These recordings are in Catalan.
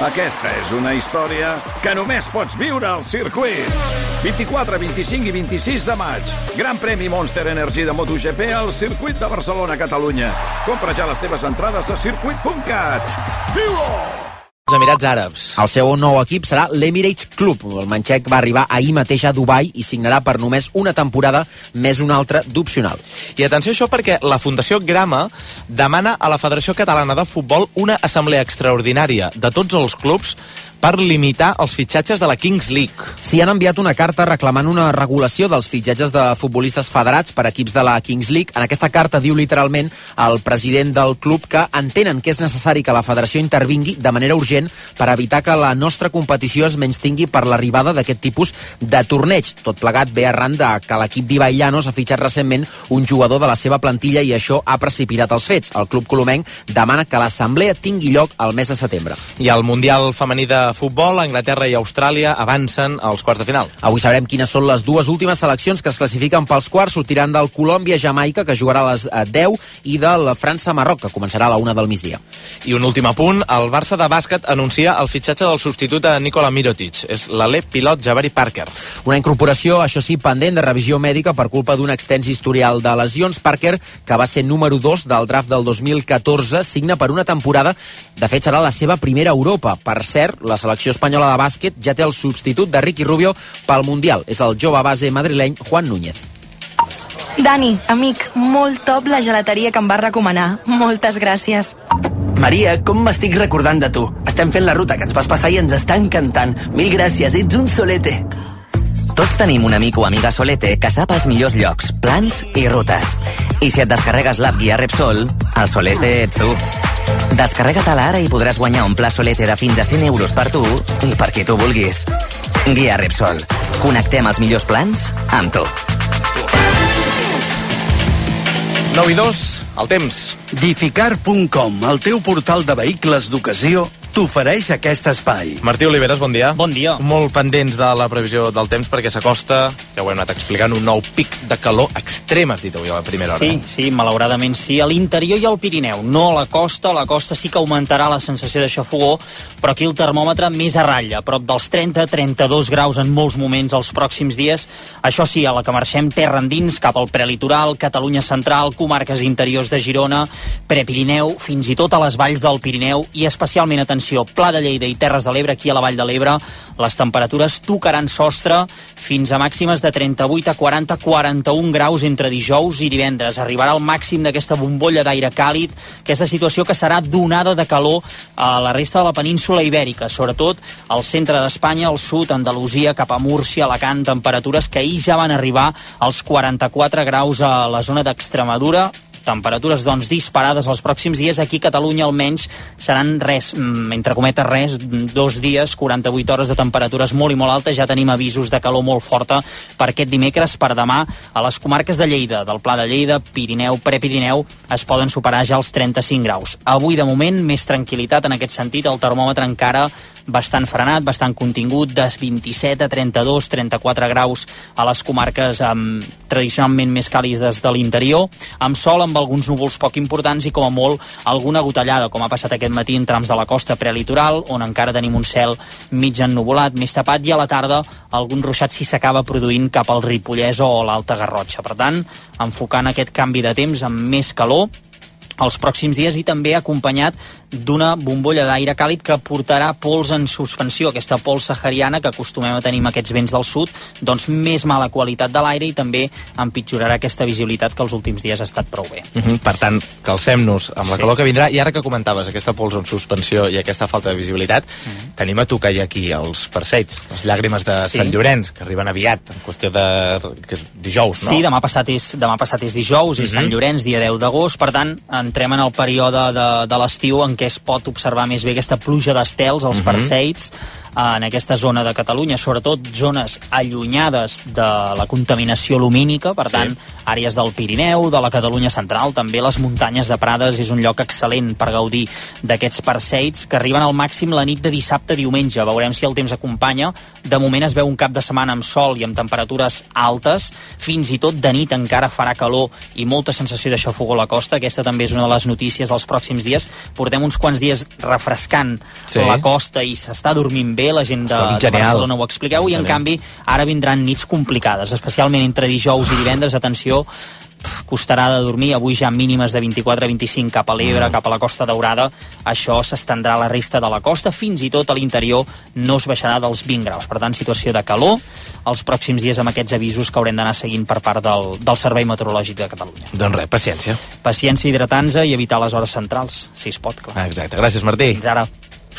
Aquesta és una història que només pots viure al circuit. 24, 25 i 26 de maig. Gran premi Monster Energy de MotoGP al circuit de Barcelona, Catalunya. Compra ja les teves entrades a circuit.cat. Viu-ho! Els Emirats Àrabs. El seu nou equip serà l'Emirates Club. El manxec va arribar ahir mateix a Dubai i signarà per només una temporada més una altra d'opcional. I atenció a això perquè la Fundació Grama demana a la Federació Catalana de Futbol una assemblea extraordinària de tots els clubs per limitar els fitxatges de la Kings League. Sí, han enviat una carta reclamant una regulació dels fitxatges de futbolistes federats per equips de la Kings League. En aquesta carta diu literalment el president del club que entenen que és necessari que la federació intervingui de manera urgent per evitar que la nostra competició es menystingui per l'arribada d'aquest tipus de torneig. Tot plegat ve arran de que l'equip d'Ibai Llanos ha fitxat recentment un jugador de la seva plantilla i això ha precipitat els fets. El club colomenc demana que l'assemblea tingui lloc al mes de setembre. I el Mundial femení de futbol, Anglaterra i Austràlia avancen als quarts de final. Avui sabrem quines són les dues últimes seleccions que es classifiquen pels quarts. Sortiran del Colòmbia-Jamaica, que jugarà a les 10, i del França-Marroc, que començarà a la 1 del migdia. I un últim apunt, el Barça de bàsquet anuncia el fitxatge del substitut a Nikola Mirotic. És l'alè pilot Jabari Parker. Una incorporació, això sí, pendent de revisió mèdica per culpa d'un extens historial de lesions. Parker, que va ser número 2 del draft del 2014, signa per una temporada. De fet, serà la seva primera a Europa. Per cert, la selecció espanyola de bàsquet ja té el substitut de Ricky Rubio pel Mundial. És el jove base madrileny Juan Núñez. Dani, amic, molt top la gelateria que em vas recomanar. Moltes gràcies. Maria, com m'estic recordant de tu. Estem fent la ruta que ens vas passar i ens està encantant. Mil gràcies, ets un solete. Tots tenim un amic o amiga solete que sap els millors llocs, plans i rutes. I si et descarregues l'app Guia Repsol, el solete ets tu. Descarrega-te-la ara i podràs guanyar un pla solete de fins a 100 euros per tu i per qui tu vulguis. Guia Repsol. Connectem els millors plans amb tu. 9 i 2, el temps. Dificar.com, el teu portal de vehicles d'ocasió, t'ofereix aquest espai. Martí Oliveres, bon dia. Bon dia. Molt pendents de la previsió del temps perquè s'acosta, ja ho hem anat explicant, un nou pic de calor extrem, has dit avui a la primera hora. Sí, malauradament sí. A l'interior i al Pirineu, no a la costa sí que augmentarà la sensació de xafogó, però aquí el termòmetre més a ratlla, a prop dels 30-32 graus en molts moments els pròxims dies. Això sí, a la que marxem terra endins, cap al prelitoral, Catalunya central, comarques interiors de Girona, Prepirineu, fins i tot a les valls del Pirineu i especialment, atenció, Pla de Lleida i Terres de l'Ebre, aquí a la Vall de l'Ebre, les temperatures tocaran sostre fins a màximes de 38 a 40, 41 graus entre dijous i divendres. Arribarà al màxim d'aquesta bombolla d'aire càlid, aquesta situació que serà d'onada de calor a la resta de la península ibèrica, sobretot al centre d'Espanya, al sud, Andalusia, cap a Múrcia, Alacant, temperatures que ahir ja van arribar als 44 graus a la zona d'Extremadura. Temperatures, doncs, disparades els pròxims dies. Aquí a Catalunya almenys seran res, entre cometes res, 2 dies, 48 hores de temperatures molt i molt altes. Ja tenim avisos de calor molt forta per aquest dimecres, per demà. A les comarques de Lleida, del Pla de Lleida, Pirineu, Prepirineu, es poden superar ja els 35 graus. Avui, de moment, més tranquil·litat en aquest sentit. El termòmetre encara bastant frenat, bastant contingut, de 27 a 32, 34 graus a les comarques tradicionalment més càlides de l'interior, amb sol, amb alguns núvols poc importants i com a molt alguna gotellada, com ha passat aquest matí en trams de la costa prelitoral, on encara tenim un cel mig ennuvolat, més tapat, i a la tarda algun ruixat si s'acaba produint cap al Ripollès o l'Alta Garrotxa. Per tant, enfocant aquest canvi de temps amb més calor els pròxims dies i també acompanyat d'una bombolla d'aire càlid que portarà pols en suspensió, aquesta pols sahariana que acostumem a tenir amb aquests vents del sud, doncs més mala qualitat de l'aire i també empitjorarà aquesta visibilitat que els últims dies ha estat prou bé. Per tant, calcem-nos amb la calor que vindrà, i ara que comentaves aquesta pols en suspensió i aquesta falta de visibilitat, tenim a tocar ja aquí els Perseids, les llàgrimes de Sant Llorenç, que arriben aviat, en qüestió de que és dijous, no? Sí, demà passat és dijous, és Sant Llorenç, dia 10 d'agost, per tant, entrem en el període de l'estiu en què es pot observar més bé aquesta pluja d'estels als Perseids, en aquesta zona de Catalunya, sobretot zones allunyades de la contaminació lumínica, per tant, àrees del Pirineu, de la Catalunya central, també les muntanyes de Prades, és un lloc excel·lent per gaudir d'aquests Perseids, que arriben al màxim la nit de dissabte a diumenge. Veurem si el temps acompanya. De moment es veu un cap de setmana amb sol i amb temperatures altes, fins i tot de nit encara farà calor i molta sensació de xafogó a la costa. Aquesta també és una de les notícies dels pròxims dies. Portem uns quants dies refrescant la costa i s'està dormint bé, la gent de Barcelona ho expliqueu, i en canvi ara vindran nits complicades, especialment entre dijous i divendres. Atenció, costarà de dormir, avui ja mínimes de 24-25 cap a l'Ebre, cap a la Costa Daurada. Això s'estendrà a la resta de la costa, fins i tot a l'interior no es baixarà dels 20 graus. Per tant, situació de calor els pròxims dies amb aquests avisos que haurem d'anar seguint per part del Servei Meteorològic de Catalunya. Doncs res, paciència. Paciència, hidratar-nos i evitar les hores centrals, si es pot, clar. Exacte, gràcies Martí. Fins ara.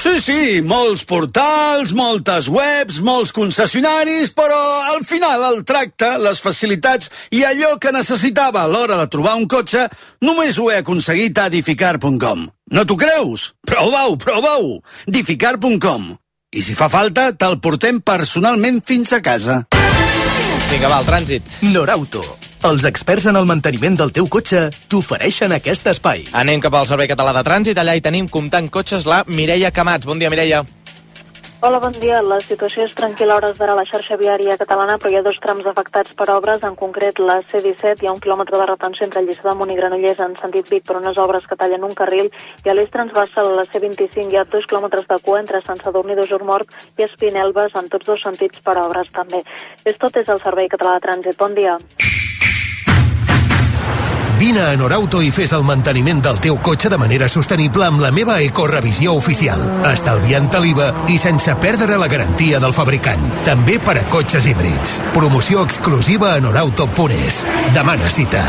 Sí, molts portals, moltes webs, molts concessionaris, però al final el tracte, les facilitats i allò que necessitava a l'hora de trobar un cotxe només ho he aconseguit a Dificar.com. No t'ho creus? Prova-ho! Dificar.com. I si fa falta, te'l portem personalment fins a casa. Vinga, va, el trànsit. Norauto. Els experts en el manteniment del teu cotxe t'ofereixen aquest espai. Anem cap al Servei Català de Trànsit. Allà hi tenim comptant cotxes la Mireia Camats. Bon dia, Mireia. Hola, bon dia. La situació és tranquil·la a hores d'ara a la xarxa viària catalana, però hi ha 2 trams afectats per obres, en concret la C-17. Hi ha 1 quilòmetre de retenció entre Lliçà d'Amunt i Granollers en sentit Vic per unes obres que tallen un carril, i a l'eix transversal a la C-25 hi ha 2 quilòmetres de cua entre Sant Sadurní d'Osormort i Espinelves en tots 2 sentits per obres també. És tot, és el Servei Català de Trànsit. Bon dia. Vine a Norauto i fes el manteniment del teu cotxe de manera sostenible amb la meva ecorevisió oficial, estalviant l'IVA i sense perdre la garantia del fabricant. També per a cotxes híbrids. Promoció exclusiva a norauto.es. Demana cita.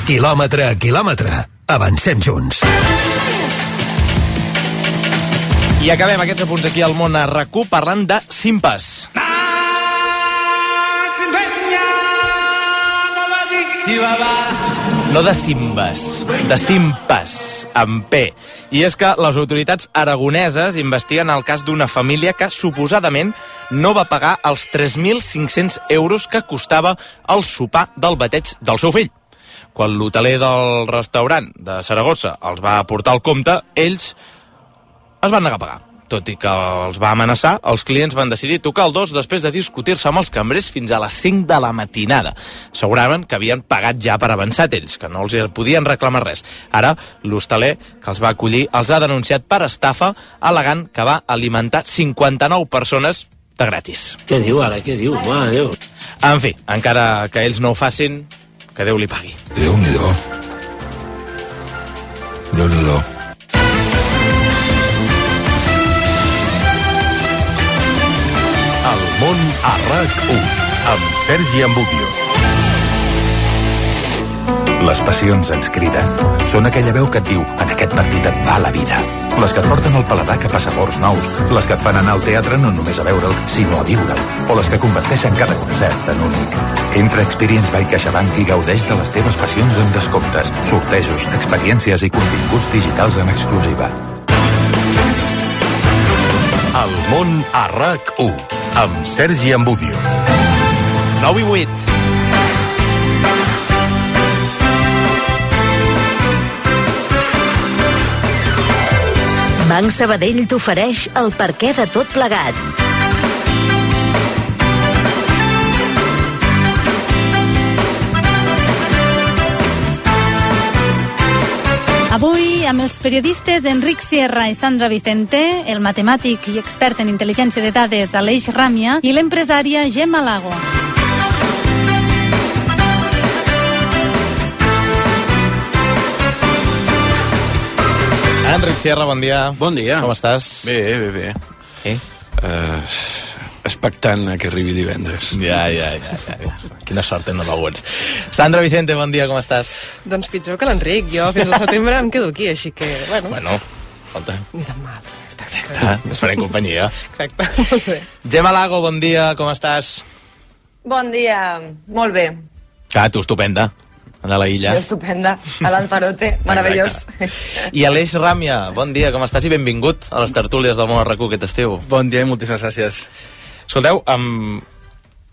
Quilòmetre a quilòmetre. Avancem junts. I acabem aquests apunts aquí al món a RAC1 parlant de Simpas. No de Simbas, de Simpas, amb P. I és que les autoritats aragoneses investiguen el cas d'una família que suposadament no va pagar els 3.500 euros que costava el sopar del bateig del seu fill. Quan l'hoteler del restaurant de Saragossa els va aportar el compte, ells es van negar a pagar. Tot i que els va amenaçar, els clients van decidir tocar el dos després de discutir-se amb els cambrers fins a les 5 de la matinada. Asseguraven que havien pagat ja per avançat ells, que no els podien reclamar res. Ara, l'hosteler que els va acollir els ha denunciat per estafa, al·legant que va alimentar 59 persones de gratis. Què diu ara? Què diu? Mare Déu. En fi, encara que ells no ho facin, que Déu li pagui. Déu-n'hi-do. Déu-n'hi-do. El món a RAC1 amb Sergi Ambudio. Les passions ens criden. Són aquella veu que et diu: en aquest partit et va la vida. Les que et porten el paladar cap a sabors nous. Les que et fan anar al teatre no només a veure'l, sinó a viure'l. O les que converteixen cada concert en únic. Entra a Experience by CaixaBank i gaudeix de les teves passions amb descomptes, sortejos, experiències i continguts digitals en exclusiva. El món a RAC1 amb Sergi Ambudio. 9 i 8. Banc Sabadell t'ofereix el perquè de tot plegat. Avui, amb els periodistes Enric Sierra i Sandra Vicente, el matemàtic i expert en intel·ligència de dades Aleix Ràmia i l'empresària Gemma Lago. Enric Sierra, bon dia. Bon dia. Com estàs? Bé. Sí? Expectant a que arribi divendres. Ja. Quina sort tenen alguns. Sandra Vicente, bon dia, com estàs? Doncs pitjor que l'Enric. Jo fins al setembre em quedo aquí, així que, Bueno, escolta. Ni tan mal. Està, ens farem companyia. Exacte, molt bé. Gemma Lago, bon dia, com estàs? Bon dia, molt bé. Tu estupenda, a la illa. Jo estupenda, a l'Alfarote, meravellós. I Aleix Ràmia, bon dia, com estàs i benvingut a les tertúlies del món RAC1 aquest estiu. Bon dia i moltíssimes gràcies. Escolteu,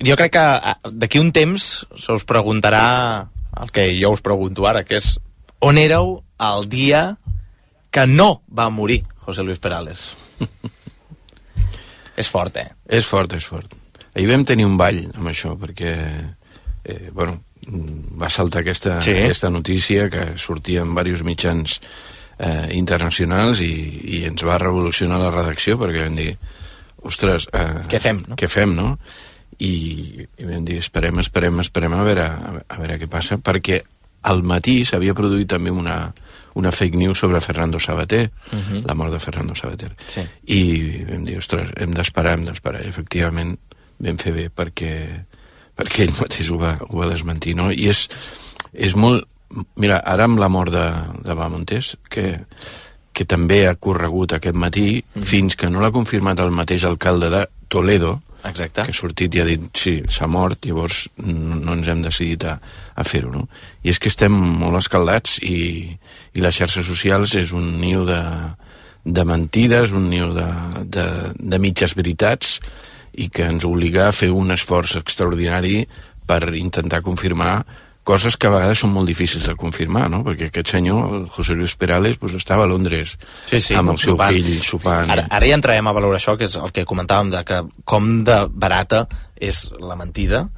jo crec que d'aquí un temps se us preguntarà el que jo us pregunto ara, que és on éreu el dia que no va morir José Luis Perales? És fort, eh? És fort. Ahir vam tenir un ball amb això, perquè va saltar aquesta notícia que sortia en diversos mitjans internacionals i ens va revolucionar la redacció perquè vam dir, ostres, què fem, no? Què fem, no? I vam dir, esperem a veure què passa, perquè al matí s'havia produït també una fake news sobre Fernando Savater, la mort de Fernando Savater. Sí. I vam dir, ostres, hem d'esperar. I efectivament vam fer bé perquè ell mateix ho va desmentir, no? I és molt... Mira, ara amb la mort de Bahamontes, que també ha corregut aquest matí, fins que no l'ha confirmat el mateix alcalde de Toledo, exacte, que ha sortit i ha dit, sí, s'ha mort, llavors no ens hem decidit a fer-ho, no? I és que estem molt escaldats i les xarxes socials és un niu de mentides, un niu de mitges veritats, i que ens obliga a fer un esforç extraordinari per intentar confirmar coses que a vegades són molt difícils de confirmar, no? Perquè aquest senyor, el José Luis Perales, pues, estava a Londres amb el seu fill sopant. Ara ja entrarem a valorar això, que és el que comentàvem, de que com de barata és la mentida.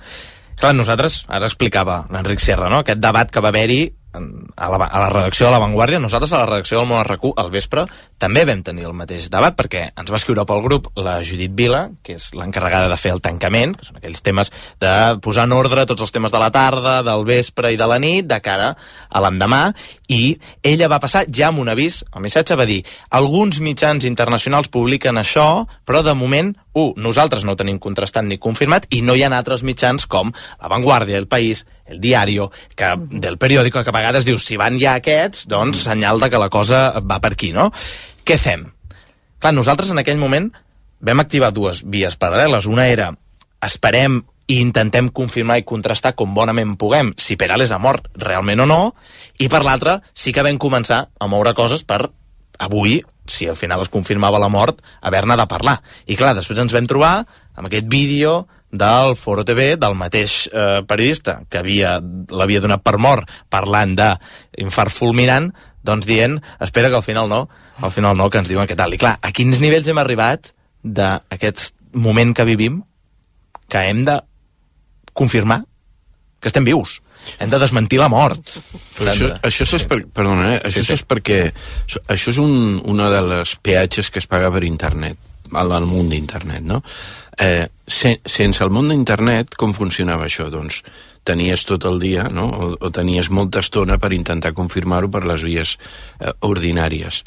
Clar, nosaltres, ara explicava l'Enric Sierra, no? Aquest debat que va haver-hi a la redacció de La Vanguardia. Nosaltres a la redacció del Món RQ al vespre també vam tenir el mateix debat, perquè ens va escriure pel grup la Judit Vila, que és l'encarregada de fer el tancament, que són aquells temes de posar en ordre tots els temes de la tarda, del vespre i de la nit, de cara a l'endemà, i ella va passar ja amb un avís. El missatge va dir: alguns mitjans internacionals publiquen això, però de moment nosaltres no ho tenim contrastat ni confirmat, i no hi ha altres mitjans com La Vanguardia, El País, El Diario, del periòdico, que a vegades dius, si van ja aquests, doncs senyal de que la cosa va per aquí, no? Què fem? Clar, nosaltres en aquell moment vam activar dues vies paral·leles. Una era, esperem i intentem confirmar i contrastar com bonament puguem si Perales ha mort realment o no, i per l'altra sí que vam començar a moure coses per avui, si al final es confirmava la mort, haver-ne de parlar. I clar, després ens vam trobar amb aquest vídeo del Foro TV, del mateix periodista que l'havia donat per mort parlant d'infart fulminant, doncs dient, espera que al final no, que ens diuen què tal. I clar, a quins nivells hem arribat d'aquest moment que vivim, que hem de confirmar que estem vius. Hem de desmentir la mort. Això és perquè això és una de les peatges que es paga per internet, al món d'internet, no? Sense el món d'internet, com funcionava això? Doncs tenies tot el dia, no? O tenies molta estona per intentar confirmar-ho per les vies ordinàries.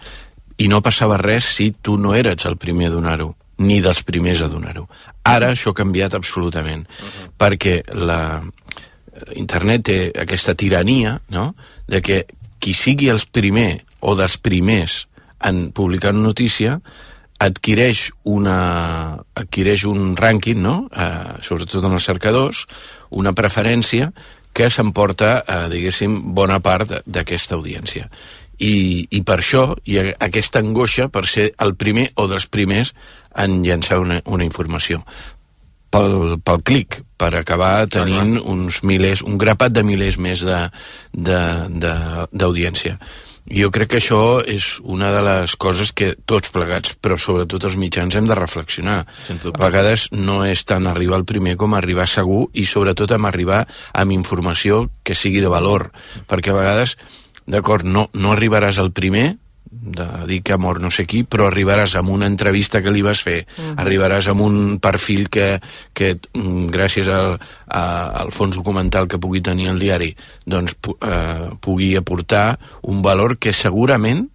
I no passava res si tu no eres el primer a donar-ho, ni dels primers a donar-ho. Ara això ha canviat absolutament, perquè internet té aquesta tirania, no?, de que qui sigui el primer o dels primers en publicar una notícia adquireix un rànquing, no?, sobretot en els cercadors, una preferència que s'emporta, diguéssim, bona part d'aquesta audiència. I per això hi ha aquesta angoixa per ser el primer o dels primers en llançar una informació. Pel clic, per acabar tenint un grapat de milers més d'audiència. Jo crec que això és una de les coses que tots plegats, però sobretot els mitjans, hem de reflexionar. A vegades no és tant arribar al primer com arribar segur, i sobretot arribar amb informació que sigui de valor, perquè a vegades, d'acord, no arribaràs al primer de dir que ha mort no sé qui, però arribaràs amb una entrevista que li vas fer, arribaràs amb un perfil que gràcies al fons documental que pugui tenir el diari, doncs pugui aportar un valor que segurament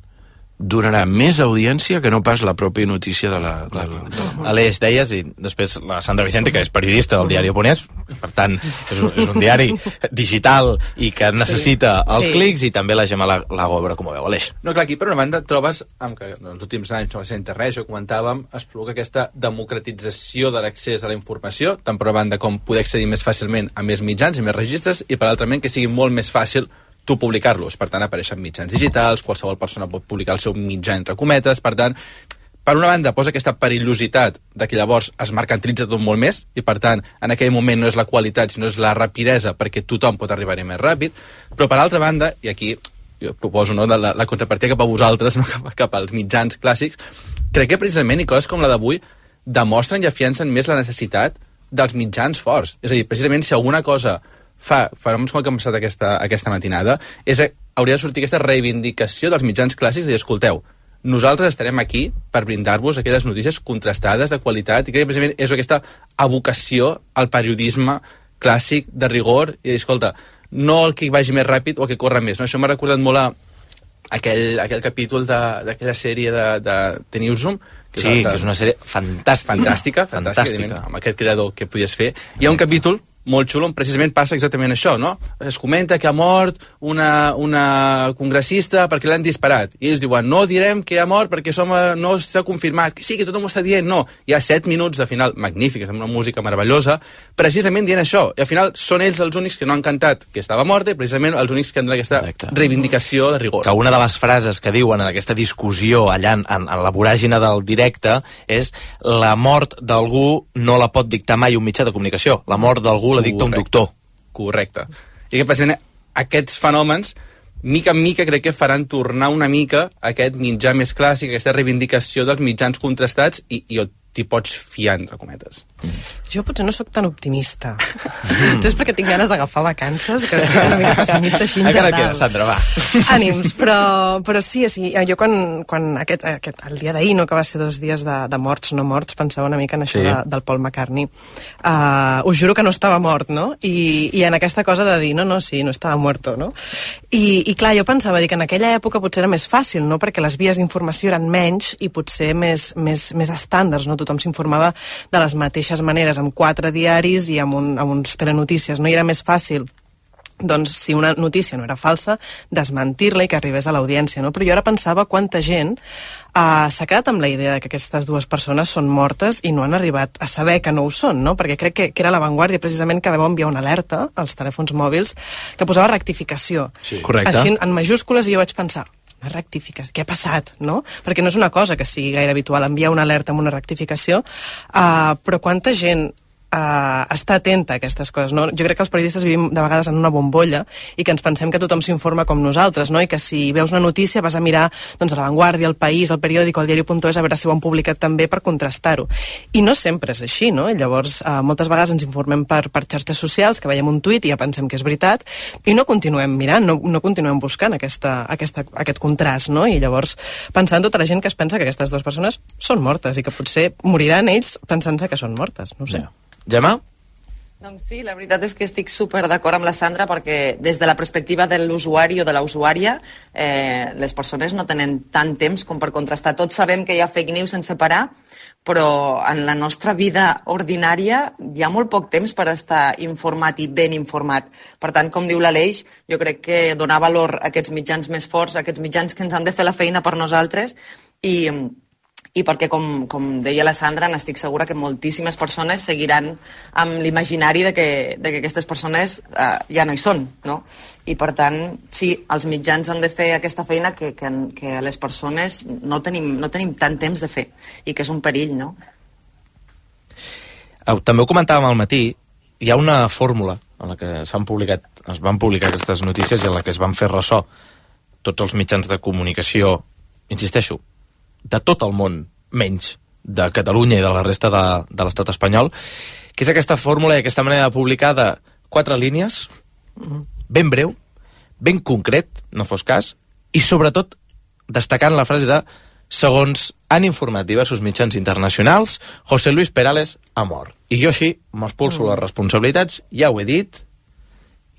donarà més audiència que no pas la pròpia notícia de la mort. Aleix, deies, i després la Sandra Vicente, que és periodista del diari Oponès, per tant, és un diari digital i que necessita els clics, i també la Gemma Lago, a veure com ho veu. Aleix. No, clar, aquí per una banda trobes que en els últims anys no va ser internet, això comentàvem, es provoca aquesta democratització de l'accés a la informació, tant per una banda com poder accedir més fàcilment a més mitjans i més registres, i per l'altra que sigui molt més fàcil tu publicar-los. Per tant, apareixen mitjans digitals, qualsevol persona pot publicar el seu mitjà entre cometes. Per tant, per una banda posa aquesta perillositat de que llavors es mercantilitza tot molt més, i per tant en aquell moment no és la qualitat sinó és la rapidesa, perquè tothom pot arribar-hi més ràpid. Però per altra banda, i aquí jo proposo, no, la contrapartida cap a vosaltres, no, cap als mitjans clàssics, crec que precisament i coses com la d'avui demostren i afiancen més la necessitat dels mitjans forts. És a dir, precisament si alguna cosa fa fenòmens com el que hem passat aquesta matinada, hauria de sortir aquesta reivindicació dels mitjans clàssics de dir, escolteu, nosaltres estarem aquí per brindar-vos aquelles notícies contrastades de qualitat, i crec que precisament és aquesta evocació al periodisme clàssic de rigor, i dir, escolta, no el que vagi més ràpid o el que corre més, no? Això m'ha recordat molt a aquell capítol d'aquella sèrie de The Newsroom, que és una sèrie fantàstica. Amb aquest creador que podies fer. Hi ha un capítol molt xulo on precisament passa exactament això, no? Es comenta que ha mort una congressista perquè l'han disparat. I ells diuen, no direm que ha mort perquè no està confirmat. Que sí, que tothom ho està dient. No, hi ha 7 minuts de final magnífics, amb una música meravellosa, precisament dient això. I al final són ells els únics que no han cantat que estava morta i precisament els únics que han donat aquesta reivindicació de rigor. Que una de les frases que diuen en aquesta discussió allà en la voràgina del directe és la mort d'algú no la pot dictar mai un mitjà de comunicació. La mort d'algú la dicta un doctor. Correcte. I que precisament aquests fenòmens, mica en mica, crec que faran tornar una mica aquest mitjà més clàssic, aquesta reivindicació dels mitjans contrastats, i t'hi pots fiar, entre cometes. Jo potser no sóc tan optimista. És perquè tinc ganes d'agafar vacances, que estic una mica pessimista així en general. Encara queda, Sandra, va. Ànims, però sí, jo quan el dia d'ahir, no, que va ser 2 dies de morts, no morts, pensava una mica en això del Paul McCartney. Us juro que no estava mort, no? I en aquesta cosa de dir, no, sí, no estava muerto, no? I clar, jo pensava que en aquella època potser era més fàcil, no? Perquè les vies d'informació eren menys i potser més estàndards, no? Tothom s'informava de les mateixes maneres, amb 4 diaris i amb uns telenotícies, no? I era més fàcil, doncs, si una notícia no era falsa, desmentir-la i que arribés a l'audiència, no? Però jo ara pensava quanta gent s'ha quedat amb la idea que aquestes 2 persones són mortes i no han arribat a saber que no ho són, no? Perquè crec que era l'avantguàrdia precisament que vam enviar una alerta als telèfons mòbils que posava rectificació. Sí. Correcte. Així, en majúscules, i jo vaig pensar, una rectificació, què ha passat, no? Perquè no és una cosa que sigui gaire habitual enviar una alerta amb una rectificació, però quanta gent està atenta a aquestes coses, no? Jo crec que els periodistes vivim de vegades en una bombolla i que ens pensem que tothom s'informa com nosaltres, no? I que si veus una notícia vas a mirar, doncs, a La Vanguardia, El País, El Periòdico, El Diari.es, a veure si ho han publicat també per contrastar-ho. I no sempre és així, no? I llavors moltes vegades ens informem per xarxes socials, que veiem un tuit i ja pensem que és veritat, i no continuem mirant, no continuem buscant aquest contrast, no? I llavors pensant tota la gent que es pensa que aquestes 2 persones són mortes i que potser moriran ells pensant-se que són mortes, no ho sé. Gemma? Doncs sí, la veritat és que estic super d'acord amb la Sandra, perquè des de la perspectiva de l'usuari o de la usuària, les persones no tenen tant temps com per contrastar. Tots sabem que hi ha fake news sense parar, però en la nostra vida ordinària hi ha molt poc temps per estar informat i ben informat. Per tant, com diu l'Aleix, jo crec que donar valor a aquests mitjans més forts, a aquests mitjans que ens han de fer la feina per nosaltres, i perquè, com deia la Sandra, n'estic segura que moltíssimes persones seguiran amb l'imaginari de que aquestes persones ja no hi són, no? I per tant, sí, els mitjans han de fer aquesta feina que les persones no tenim tant temps de fer, i que és un perill, no? També ho comentàvem al matí, hi ha una fórmula en la que es van publicar aquestes notícies i en la que es van fer ressò tots els mitjans de comunicació, insisteixo, de tot el món, menys de Catalunya i de la resta de l'estat espanyol, que és aquesta fórmula i aquesta manera de publicar de 4 línies, ben breu, ben concret, no fos cas, i sobretot destacant la frase de segons han informat diversos mitjans internacionals, José Luis Perales ha mort. I jo així m'expulso les responsabilitats, ja ho he dit,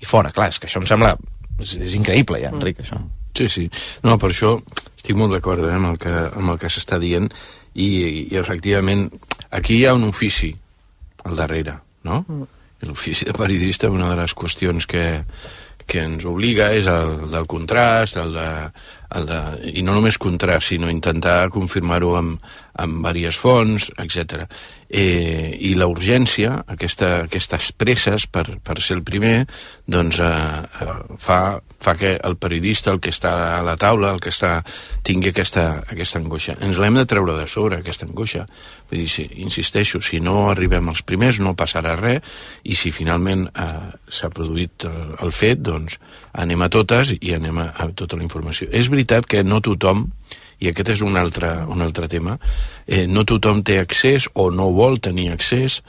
i fora. Clar, és que això em sembla... És increïble ja, Enric, això. Sí. No, per això estic molt d'acord amb el que s'està dient i efectivament aquí hi ha un ofici al darrere, no? L'ofici de periodista, una de les qüestions que ens obliga és el del contrast, i no només contrast, sinó intentar confirmar-ho amb diverses fonts, etc. I la urgència, aquestes presses per ser el primer, doncs fa que el periodista, el que està a la taula, tingui aquesta angoixa. Ens l'hem de treure de sobre, aquesta angoixa. Vull dir, insisteixo, si no arribem els primers no passarà res, i si finalment s'ha produït el fet, doncs anem a totes i anem a tota la informació. És veritat que no tothom, i aquest és un altre tema, no tothom té accés o no vol tenir accés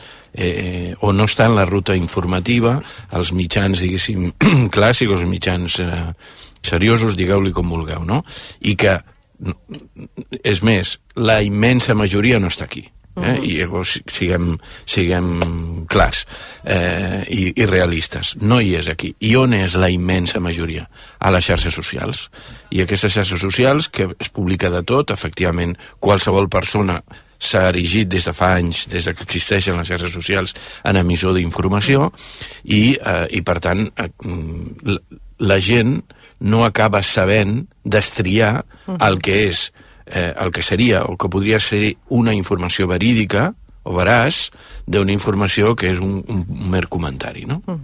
o no està en la ruta informativa, els mitjans, diguéssim, clàssics, els mitjans seriosos, digueu-li com vulgueu, no? I que, és més, la immensa majoria no està aquí. I llavors siguem clars i realistes. No hi és aquí. I on és la immensa majoria? A les xarxes socials. I aquestes xarxes socials, que es publica de tot, efectivament, qualsevol persona s'ha erigit des de fa anys, des que existeixen les xarxes socials, en emissor d'informació, i per tant la gent no acaba sabent destriar el que és el que seria o que podria ser una informació verídica o veraç d'una informació que és un mer comentari, no? A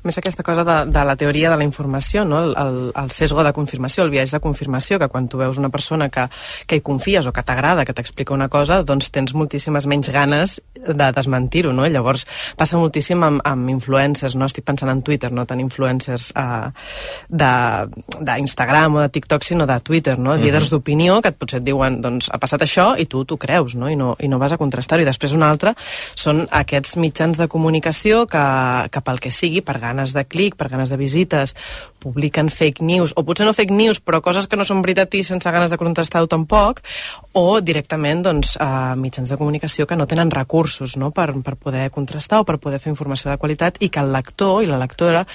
més, aquesta cosa de la teoria de la informació, no? El sesgo de confirmació, el biaix de confirmació, que quan tu veus una persona que hi confies o que t'agrada, que t'explica una cosa, doncs tens moltíssimes menys ganes de desmentir-ho, no? I llavors passa moltíssim amb influencers, no? Estic pensant en Twitter, no tant influencers d'Instagram o de TikTok, sinó de Twitter, no? Líders d'opinió que potser et diuen, doncs, ha passat això i tu t'ho creus, no? I no vas a contrastar-ho. I després una altra són aquests mitjans de comunicació que pel que sigui, per ganes de clic, per ganes de visites, publiquen fake news, o potser no fake news, però coses que no són veritat i sense ganes de contrastar-ho tampoc, o directament doncs, mitjans de comunicació que no tenen recursos, no? per poder contrastar o per poder fer informació de qualitat, i que el lector i la lectora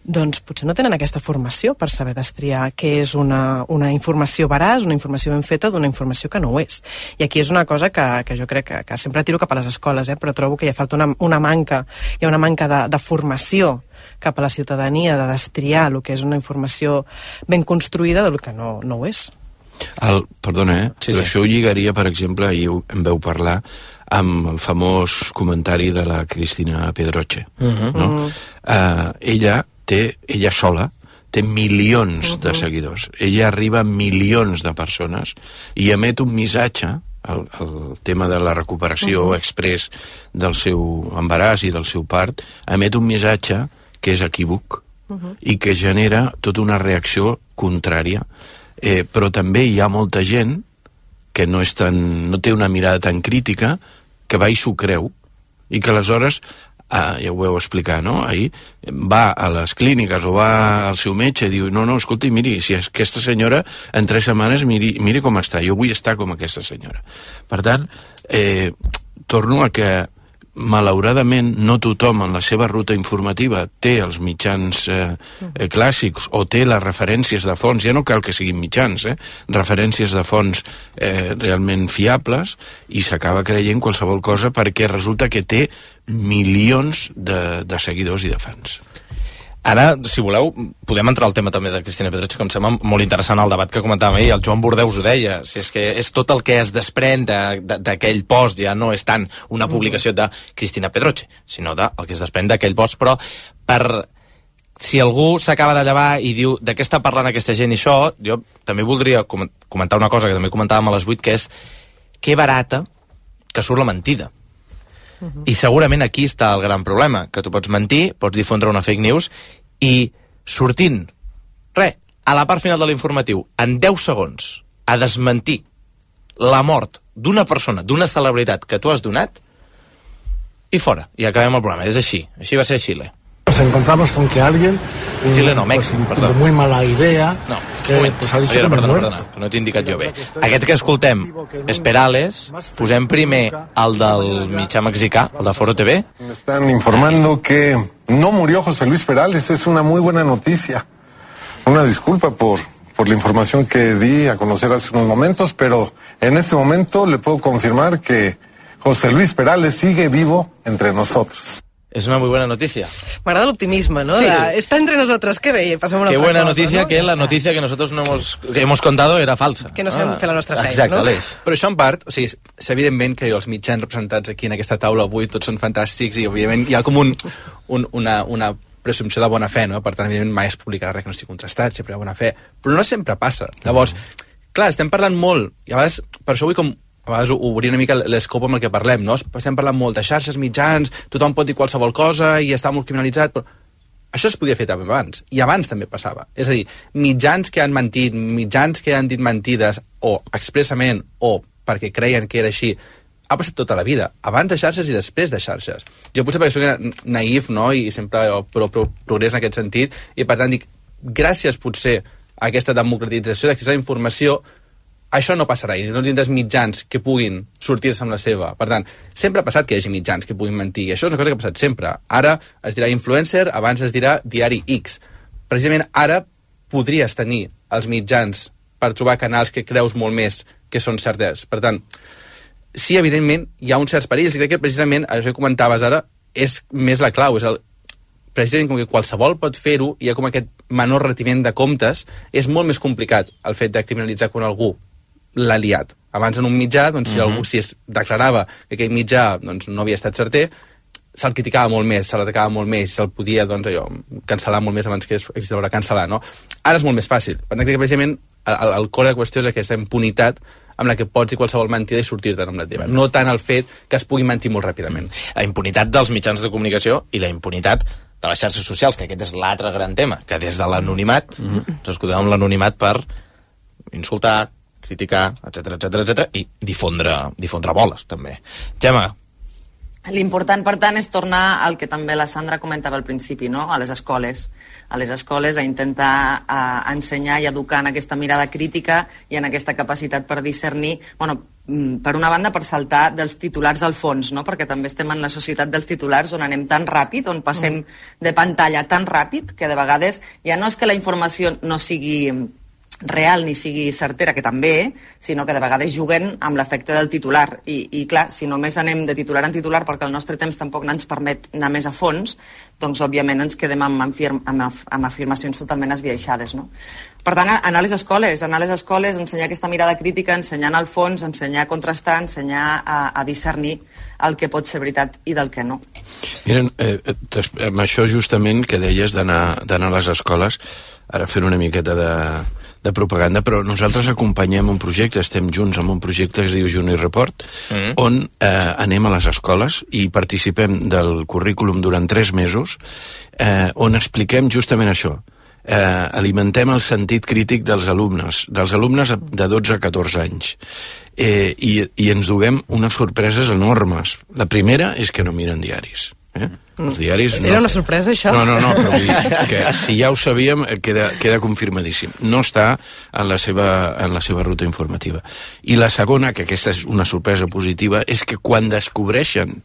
doncs potser no tenen aquesta formació per saber destriar què és una informació veraç, una informació ben feta d'una informació que no ho és. I aquí és una cosa que jo crec que sempre tiro cap a les escoles, però trobo que hi ha falta una manca de formació cap a la ciutadania, de destriar el que és una informació ben construïda del que no ho és. Perdona, sí. Això ho lligaria, per exemple, ahir en veu parlar amb el famós comentari de la Cristina Pedroche, no? Ella sola té milions de seguidors. Ella arriba a milions de persones i emet un missatge, el tema de la recuperació express del seu embaràs i del seu part, emet un missatge que és equívoc i que genera tota una reacció contrària. Però també hi ha molta gent que no té una mirada tan crítica, que va i s'ho creu, i que aleshores ja ho vau explicar, no? Ahir va a les clíniques o va al seu metge i diu, no, escolti, miri, si aquesta senyora en 3 setmanes, miri com està, jo vull estar com aquesta senyora. Per tant, torno a que malauradament no tothom en la seva ruta informativa té els mitjans clàssics o té les referències de fonts, ja no cal que siguin mitjans, referències de fonts realment fiables, i s'acaba creient qualsevol cosa perquè resulta que té milions de seguidors i de fans. Ara, si voleu, podem entrar al tema també de Cristina Pedroche, que em sembla molt interessant el debat que comentàvem ahir. El Joan Bordeus ho deia, si és que és tot el que es desprèn d'aquell post, ja no és tant una publicació de Cristina Pedroche, sinó del que es desprèn d'aquell post, però si algú s'acaba de llevar i diu de què està parlant aquesta gent i això, jo també voldria comentar una cosa que també comentàvem a les 8, que és que barata que surt la mentida. I segurament aquí està el gran problema, que tu pots mentir, pots difondre una fake news i sortint, a la part final de l'informatiu, en 10 segons, a desmentir la mort d'una persona, d'una celebritat que tu has donat, i fora, i acabem el programa. És així va ser a Xile. Nos encontramos con que alguien Xile no, Mèxic, perdó. de muy mala idea pues ha dicho perdona, que no t'he indicat jo bé. Aquest que escoltem és Perales. Posem primer el del mitjà mexicà, el de Foro TV. Me están informando que no murió José Luis Perales. Es una muy buena noticia. Una disculpa por la información que di a conocer hace unos momentos, pero en este momento le puedo confirmar que José Luis Perales sigue vivo entre nosotros. Es una muy buena noticia. M'agrada l'optimisme, ¿no? Sí. Está entre nosotros, qué bé, pasamos Qué otra buena cosa, noticia, ¿no? que la noticia que nosotros que hemos contado era falsa. Que no sabem fer la nostra feina, exacte, no? Aleix. Però això en part, o sigui, és evidentment que els mitjans representats aquí en aquesta taula avui tots són fantàstics i òbviament hi ha com una presumpció de bona fe, no? Per tant, evidentment mai es publicarà res que no estigui contrastat, sempre hi ha bona fe, però no sempre passa. Llavors, clar, estem parlant molt, i a vegades, per això vull com a vegades obrir una mica l'escopo amb el que parlem, no? Estem parlant molt de xarxes, mitjans, tothom pot dir qualsevol cosa i està molt criminalitzat, però això es podia fer també abans, i abans també passava. És a dir, mitjans que han mentit, mitjans que han dit mentides, o expressament, o perquè creien que era així, ha passat tota la vida, abans de xarxes i després de xarxes. Jo potser perquè soc naïf, no?, i sempre progrés en aquest sentit, i per tant dic, gràcies potser a aquesta democratització d'accés a la informació, això no passarà, i no tindràs mitjans que puguin sortir-se amb la seva. Per tant, sempre ha passat que hi hagi mitjans que puguin mentir, i això és una cosa que ha passat sempre. Ara es dirà influencer, abans es dirà diari X. Precisament ara podries tenir els mitjans per trobar canals que creus molt més que són certes. Per tant, sí, evidentment, hi ha uns certs perills, i crec que precisament, això que comentaves ara, és més la clau, precisament com que qualsevol pot fer-ho, hi ha com aquest menor retiment de comptes, és molt més complicat el fet de criminalitzar quan algú l'ha liat. Abans en un mitjà, doncs, si es declarava que aquell mitjà doncs, no havia estat certer, se'l criticava molt més, se l'atacava molt més, se'l podia cancel·lar molt més abans que existia l'hora cancel·lar, no? Ara és molt més fàcil. Per tant, crec que precisament el core de qüestió és aquesta impunitat amb la que pots dir qualsevol mentida i sortir-te amb la teva. No tant el fet que es pugui mentir molt ràpidament. La impunitat dels mitjans de comunicació i la impunitat de les xarxes socials, que aquest és l'altre gran tema, que des de l'anonimat, ens escudem amb l'anonimat per insultar, criticar, etc i difondre boles, també. Gemma. L'important, per tant, és tornar al que també la Sandra comentava al principi, no? A les escoles. A les escoles a intentar ensenyar i educar en aquesta mirada crítica i en aquesta capacitat per discernir, per una banda, per saltar dels titulars al fons, no? Perquè també estem en la societat dels titulars on anem tan ràpid, on passem de pantalla tan ràpid, que de vegades ja no és que la informació no sigui real ni sigui certera, que també, sinó que de vegades juguen amb l'efecte del titular. I clar, si només anem de titular en titular perquè el nostre temps tampoc no ens permet anar més a fons, doncs òbviament ens quedem amb afirmacions totalment esbiaixades, no? Per tant, anar a les escoles, ensenyar aquesta mirada crítica, ensenyar al fons, ensenyar a contrastar, ensenyar a discernir el que pot ser veritat i del que no. Miren, amb això justament que deies d'anar a les escoles, ara fent una miqueta de propaganda, però nosaltres acompanyem un projecte, estem junts amb un projecte que es diu Juni Report, on anem a les escoles i participem del currículum durant 3 mesos, on expliquem justament això. Alimentem el sentit crític dels alumnes de 12 a 14 anys. I ens duguem unes sorpreses enormes. La primera és que no miren diaris. Els diaris no... Era una sorpresa, això? No, però vull dir que si ja ho sabíem, queda confirmadíssim. No està en la seva ruta informativa. I la segona, que aquesta és una sorpresa positiva, és que quan descobreixen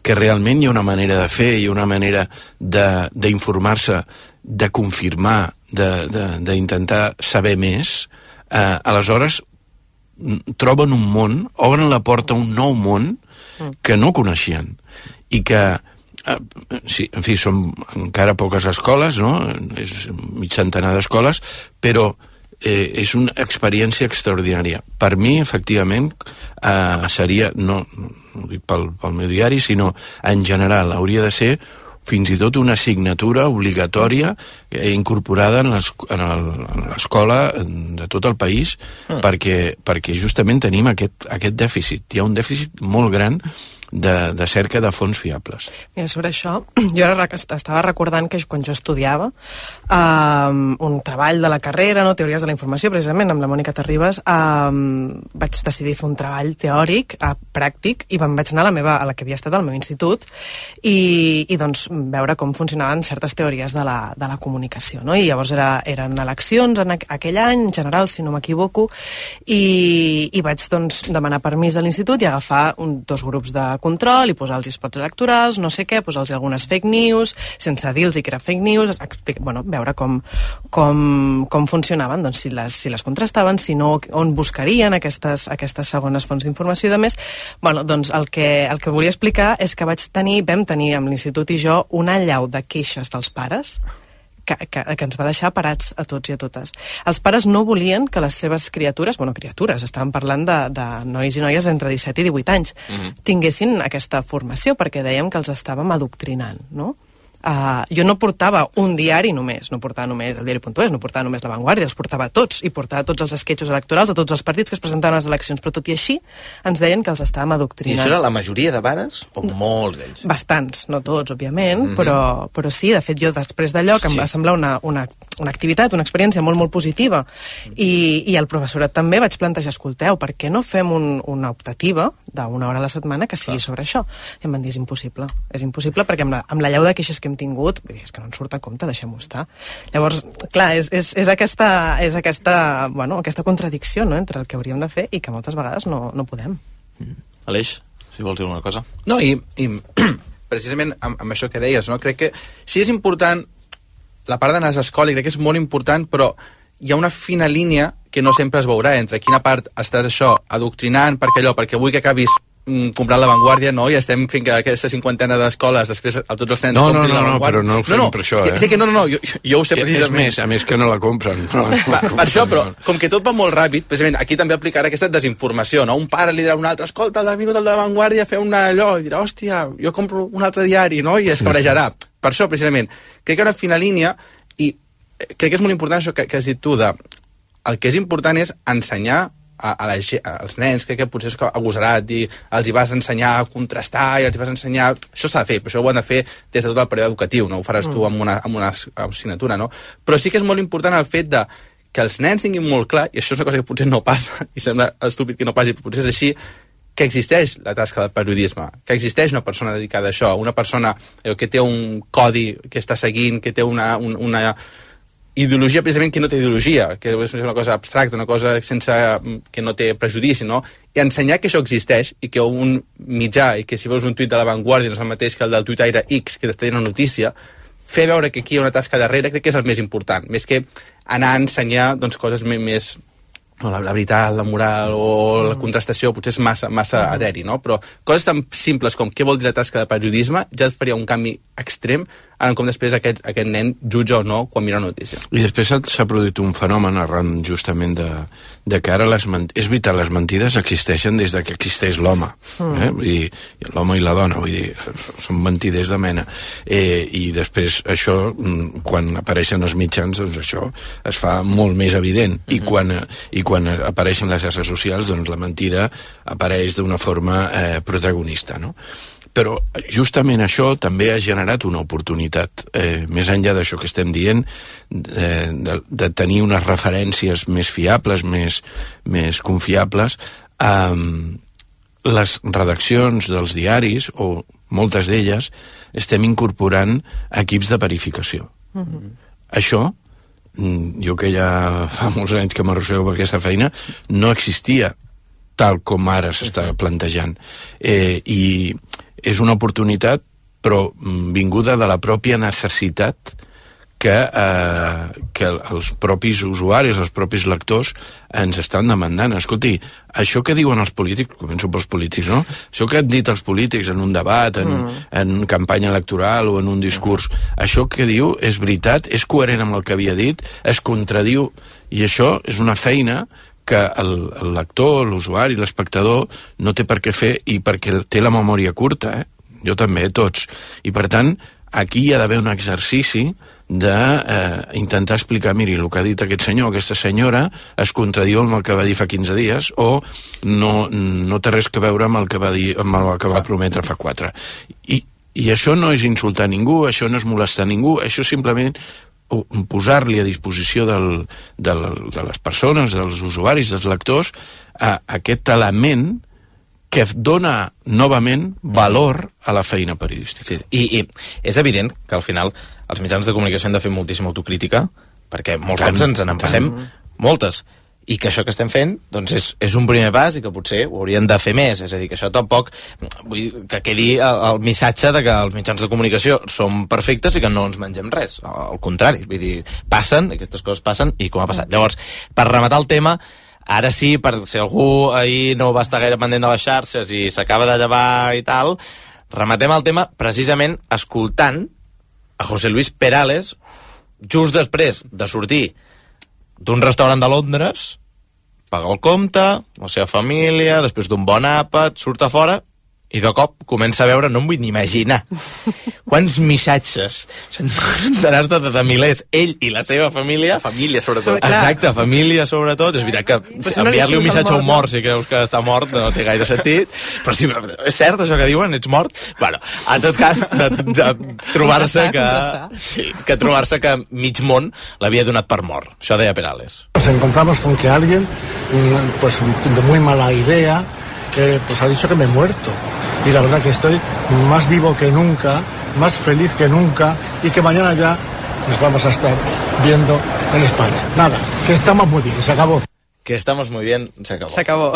que realment hi ha una manera de fer, hi ha una manera d'informar-se, de confirmar, d'intentar saber més, aleshores troben un món, obren la porta a un nou món que no coneixien i que sí, en fi, són encara poques escoles, no? És mig centenar d'escoles, però és una experiència extraordinària. Per mi, efectivament, seria, no ho dic pel meu diari, sinó en general, hauria de ser fins i tot una assignatura obligatòria incorporada en l'escola de tot el país, perquè justament tenim aquest dèficit. Hi ha un dèficit molt gran de cerca de fons fiables. Mira, sobre això, jo ara estava recordant que quan jo estudiava un treball de la carrera, no, Teories de la Informació, precisament, amb la Mònica Terribas, vaig decidir fer un treball teòric, pràctic, i vaig anar a la que havia estat al meu institut i doncs veure com funcionaven certes teories de la comunicació, no? I llavors eren eleccions en aquell any, en general, si no m'equivoco, i vaig doncs demanar permís a l'institut i agafar 2 grups de control i posar-los spots electorals, no sé què, posar-los algunes fake news, sense dir-los que era fake news, veure com funcionaven, doncs si les contrastaven, si no, on buscarien aquestes segones fonts d'informació i de més. Doncs el que volia explicar és que vam tenir amb l'institut i jo una allau de queixes dels pares que ens va deixar parats a tots i a totes. Els pares no volien que les seves criatures, estàvem parlant de nois i noies entre 17 i 18 anys, tinguessin aquesta formació, perquè dèiem que els estàvem adoctrinant, no? jo no portava un diari només, no portava només el diari.es, no portava només La Vanguardia, els portava tots, i portava tots els esquetxos electorals de tots els partits que es presentaven a les eleccions, però tot i així ens deien que els estàvem adoctrinant. I això era la majoria de pares o molts d'ells? Bastants, no tots, òbviament, però sí, de fet, jo després d'allò, que em va semblar una activitat, una experiència molt, molt positiva, i el professorat també vaig plantejar, escolteu, per què no fem una optativa d'una hora a la setmana que sigui sobre això? I em van dir, és impossible perquè amb la llau de queixes que hem tingut, vull dir, és que no ens surt a compte, deixem-ho estar. Llavors, clar, és aquesta contradicció, no?, entre el que hauríem de fer i que moltes vegades no podem. Aleix, si vols dir una cosa. No, i precisament amb això que deies, no? Crec que sí és important la part d'anar a l'escola, i crec que és molt important, però hi ha una fina línia que no sempre es veurà entre quina part estàs adoctrinant perquè vull que acabis comprant La Vanguardia, no? I estem fent que aquesta 50ena d'escoles després tots els nens comprin La Vanguardia. Però no ho fem per això, Sí que jo ho sé precisament. És més que no la compren. Per això, però com que tot va molt ràpid, precisament aquí també aplicarà aquesta desinformació, no? Un pare li dirà a un altre, escolta, el minut de La Vanguardia, fer allò, i dirà, hòstia, jo compro un altre diari, no? I es cabrejarà. Per això, precisament, crec que hi ha una fina línia, i crec que és molt important això que has dit tu, el que és important és ensenyar als nens, crec que potser és agosarat dir, els hi vas ensenyar a contrastar i els hi vas ensenyar... Això s'ha de fer, però això ho han de fer des de tot el període educatiu, no ho faràs tu amb una assignatura, no? Però sí que és molt important el fet que els nens tinguin molt clar, i això és una cosa que potser no passa, i sembla estúpid que no passi, però potser és així, que existeix la tasca del periodisme, que existeix una persona dedicada a això, una persona que té un codi que està seguint, que té una ideologia, precisament, que no té ideologia, que és una cosa abstracta, una cosa que no té prejudici, no? I ensenyar que això existeix i que un mitjà, i que si veus un tuit de La Vanguardia no és el mateix que el del tuitaire X que t'està dient una notícia, fer veure que aquí hi ha una tasca darrere crec que és el més important, més que anar a ensenyar coses més... la veritat, la moral o la contrastació potser és massa eteri, no? Però coses tan simples com què vol dir la tasca de periodisme ja et faria un canvi extrem en com després aquest nen jutja o no quan mira una notícia. I després s'ha produït un fenomen arran justament de que ara és veritat, les mentides existeixen des que existeix l'home, i l'home i la dona, vull dir, són mentiders de mena, i després això, quan apareixen els mitjans, doncs això es fa molt més evident, i quan apareixen les xarxes socials, doncs la mentida apareix d'una forma protagonista, no? Però justament això també ha generat una oportunitat, més enllà d'això que estem dient, de tenir unes referències més fiables, més confiables. Les redaccions dels diaris, o moltes d'elles, estem incorporant equips de verificació. Això, jo que ja fa molts anys que m'arrossego per aquesta feina, no existia tal com ara s'està plantejant. I és una oportunitat, però vinguda de la pròpia necessitat que els propis usuaris, els propis lectors ens estan demandant. Escolti, això que diuen els polítics, començo pels polítics, no? Això que han dit els polítics en un debat, en campanya electoral o en un discurs, això que diu és veritat, és coherent amb el que havia dit, es contradiu, i això és una feina que el lector, l'usuari, l'espectador no té per què fer, i perquè té la memòria curta, jo també, tots. I per tant, aquí hi ha d'haver un exercici d'intentar explicar, miri, el que ha dit aquest senyor o aquesta senyora es contradiu amb el que va dir fa 15 dies o no té res a veure amb el que va dir, amb el que va prometre fa 4. I això no és insultar ningú, això no és molestar ningú, això simplement posar-li a disposició de les persones, dels usuaris, dels lectors, aquest element que dona novament valor a la feina periodística. Sí, i és evident que al final els mitjans de comunicació han de fer moltíssima autocrítica, perquè molts cops ens n'empassem moltes, i que això que estem fent doncs és un primer pas i que potser ho haurien de fer més, és a dir, que això tampoc vull dir, que quedi el missatge de que els mitjans de comunicació són perfectes i que no ens mengem res, al contrari, vull dir, passen, aquestes coses passen, i com ha passat. Llavors, per rematar el tema, ara sí, per si algú ahir no va estar gaire pendent de les xarxes i s'acaba de llevar i tal, rematem el tema precisament escoltant a José Luis Perales just després de sortir d'un restaurant de Londres, paga el compte, la seva família, després d'un bon àpat, surt a fora I de cop comença a veure, no em vull ni imaginar, quants missatges, centenars de milers, ell i la seva família... Família, sobretot. Exacte, família, sobretot. És veritat que enviar-li un missatge a un mort si creus que està mort no té gaire sentit, però sí, és cert això que diuen, ets mort? Bueno, en tot cas, de trobar-se que trobar-se que mig món l'havia donat per mort. Això deia Perales. Nos encontramos con que alguien, pues de muy mala idea, pues ha dicho que me he muerto. Y la verdad que estoy más vivo que nunca, más feliz que nunca, y que mañana ya nos vamos a estar viendo en España. Nada, que estamos muy bien, se acabó. Que estamos muy bien, se acabó. Se acabó.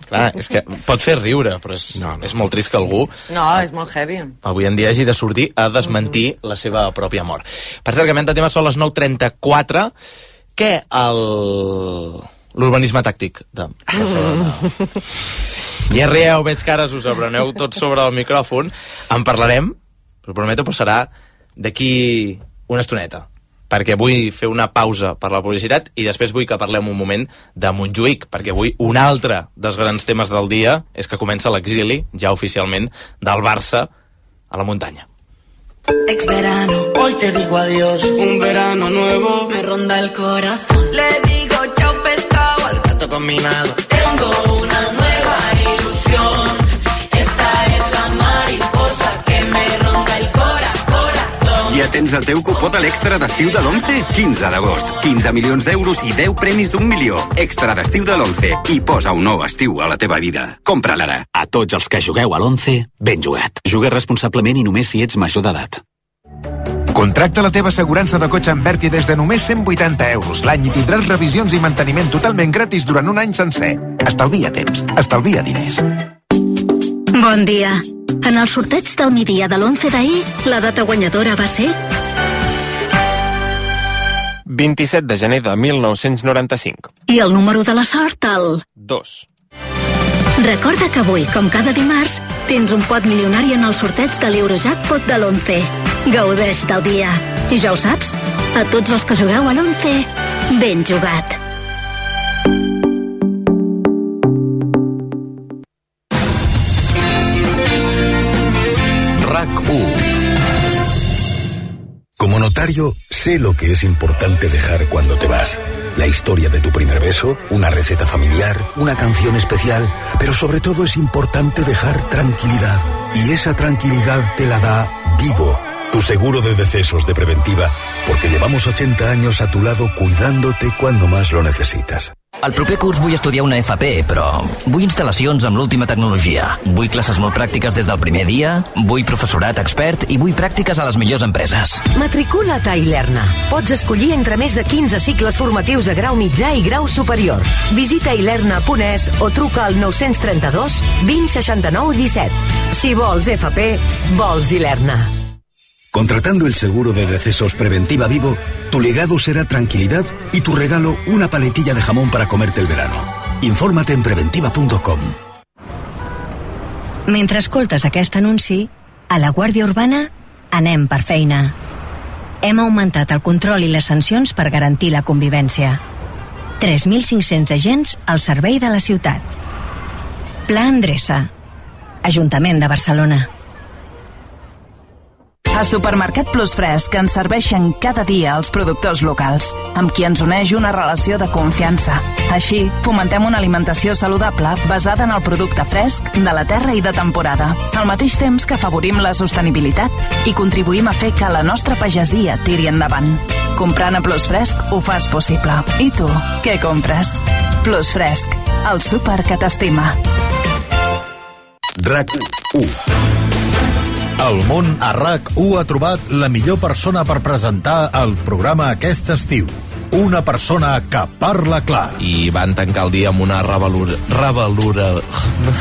Clar, és que pot fer riure, però és molt trist que algú... No, és molt heavy. Avui en dia hagi de sortir a desmentir la seva pròpia mort. Per cert, que de tema són les 9:34. Què l'urbanisme tàctic de Barcelona? Ja rieu, veig que ara us apreneu tots sobre el micròfon. En parlarem, però prometo, però serà d'aquí una estoneta, perquè vull fer una pausa per la publicitat i després vull que parlem un moment de Montjuïc, perquè avui un altre dels grans temes del dia és que comença l'exili, ja oficialment, del Barça a la muntanya. Ex verano, hoy te digo adiós. Un verano nuevo me ronda el corazón. Le digo chao pescado al plato combinado. Tengo una nueva ilusión. Esta es la mariposa que me ronda el corazón. Ja tens el teu cupó de l'extra d'estiu de l'11? 15 d'agost. 15 milions d'euros i 10 premis d'1 milió. Extra d'estiu de l'11. I posa un nou estiu a la teva vida. Compra-la ara. A tots els que jugueu a l'11, ben jugat. Juga responsablement i només si ets major d'edat. Contracta la teva assegurança de cotxe amb Berti des de només 180 euros l'any i tindràs revisions i manteniment totalment gratis durant un any sencer. Estalvia temps, estalvia diners. Bon dia. En el sorteig del migdia de l'11 d'ahir, la data guanyadora va ser... 27 de gener de 1995. I el número de la sort, el... 2. Recorda que avui, com cada dimarts, tens un pot milionari en el sorteig de l'Eurojackpot de l'11. Gaudeix del dia. I ja ho saps, a tots els que jugueu a l'11, ben jugat. Como notario, sé lo que es importante dejar cuando te vas. La historia de tu primer beso, una receta familiar, una canción especial, pero sobre todo es importante dejar tranquilidad. Y esa tranquilidad te la da Vivo, tu seguro de decesos de Preventiva, porque llevamos 80 años a tu lado cuidándote cuando más lo necesitas. El proper curs vull estudiar una FP, però vull instal·lacions amb l'última tecnologia. Vull classes molt pràctiques des del primer dia, vull professorat expert i vull pràctiques a les millors empreses. Matricula't a Ilerna. Pots escollir entre més de 15 cicles formatius de grau mitjà i grau superior. Visita ilerna.es o truca al 932 20 69 17. Si vols FP, vols Ilerna. Contratando el seguro de decesos Preventiva Vivo, tu legado será tranquilidad y tu regalo una paletilla de jamón para comerte el verano. Infórmate en preventiva.com. Mentre escoltes aquest anunci, a la Guàrdia Urbana anem per feina. Hem augmentat el control i les sancions per garantir la convivència. 3.500 agents al servei de la ciutat. Pla Endreça. Ajuntament de Barcelona. A Supermercat Plus Fresc ens serveixen cada dia els productors locals, amb qui ens uneix una relació de confiança. Així, fomentem una alimentació saludable basada en el producte fresc, de la terra i de temporada, al mateix temps que afavorim la sostenibilitat i contribuïm a fer que la nostra pagesia tiri endavant. Comprant a Plus Fresc ho fas possible. I tu, què compres? Plus Fresc, el súper que t'estima. RAC1. El món a RAC1 ha trobat la millor persona per presentar el programa aquest estiu. Una persona que parla clar. I van tancar el dia amb una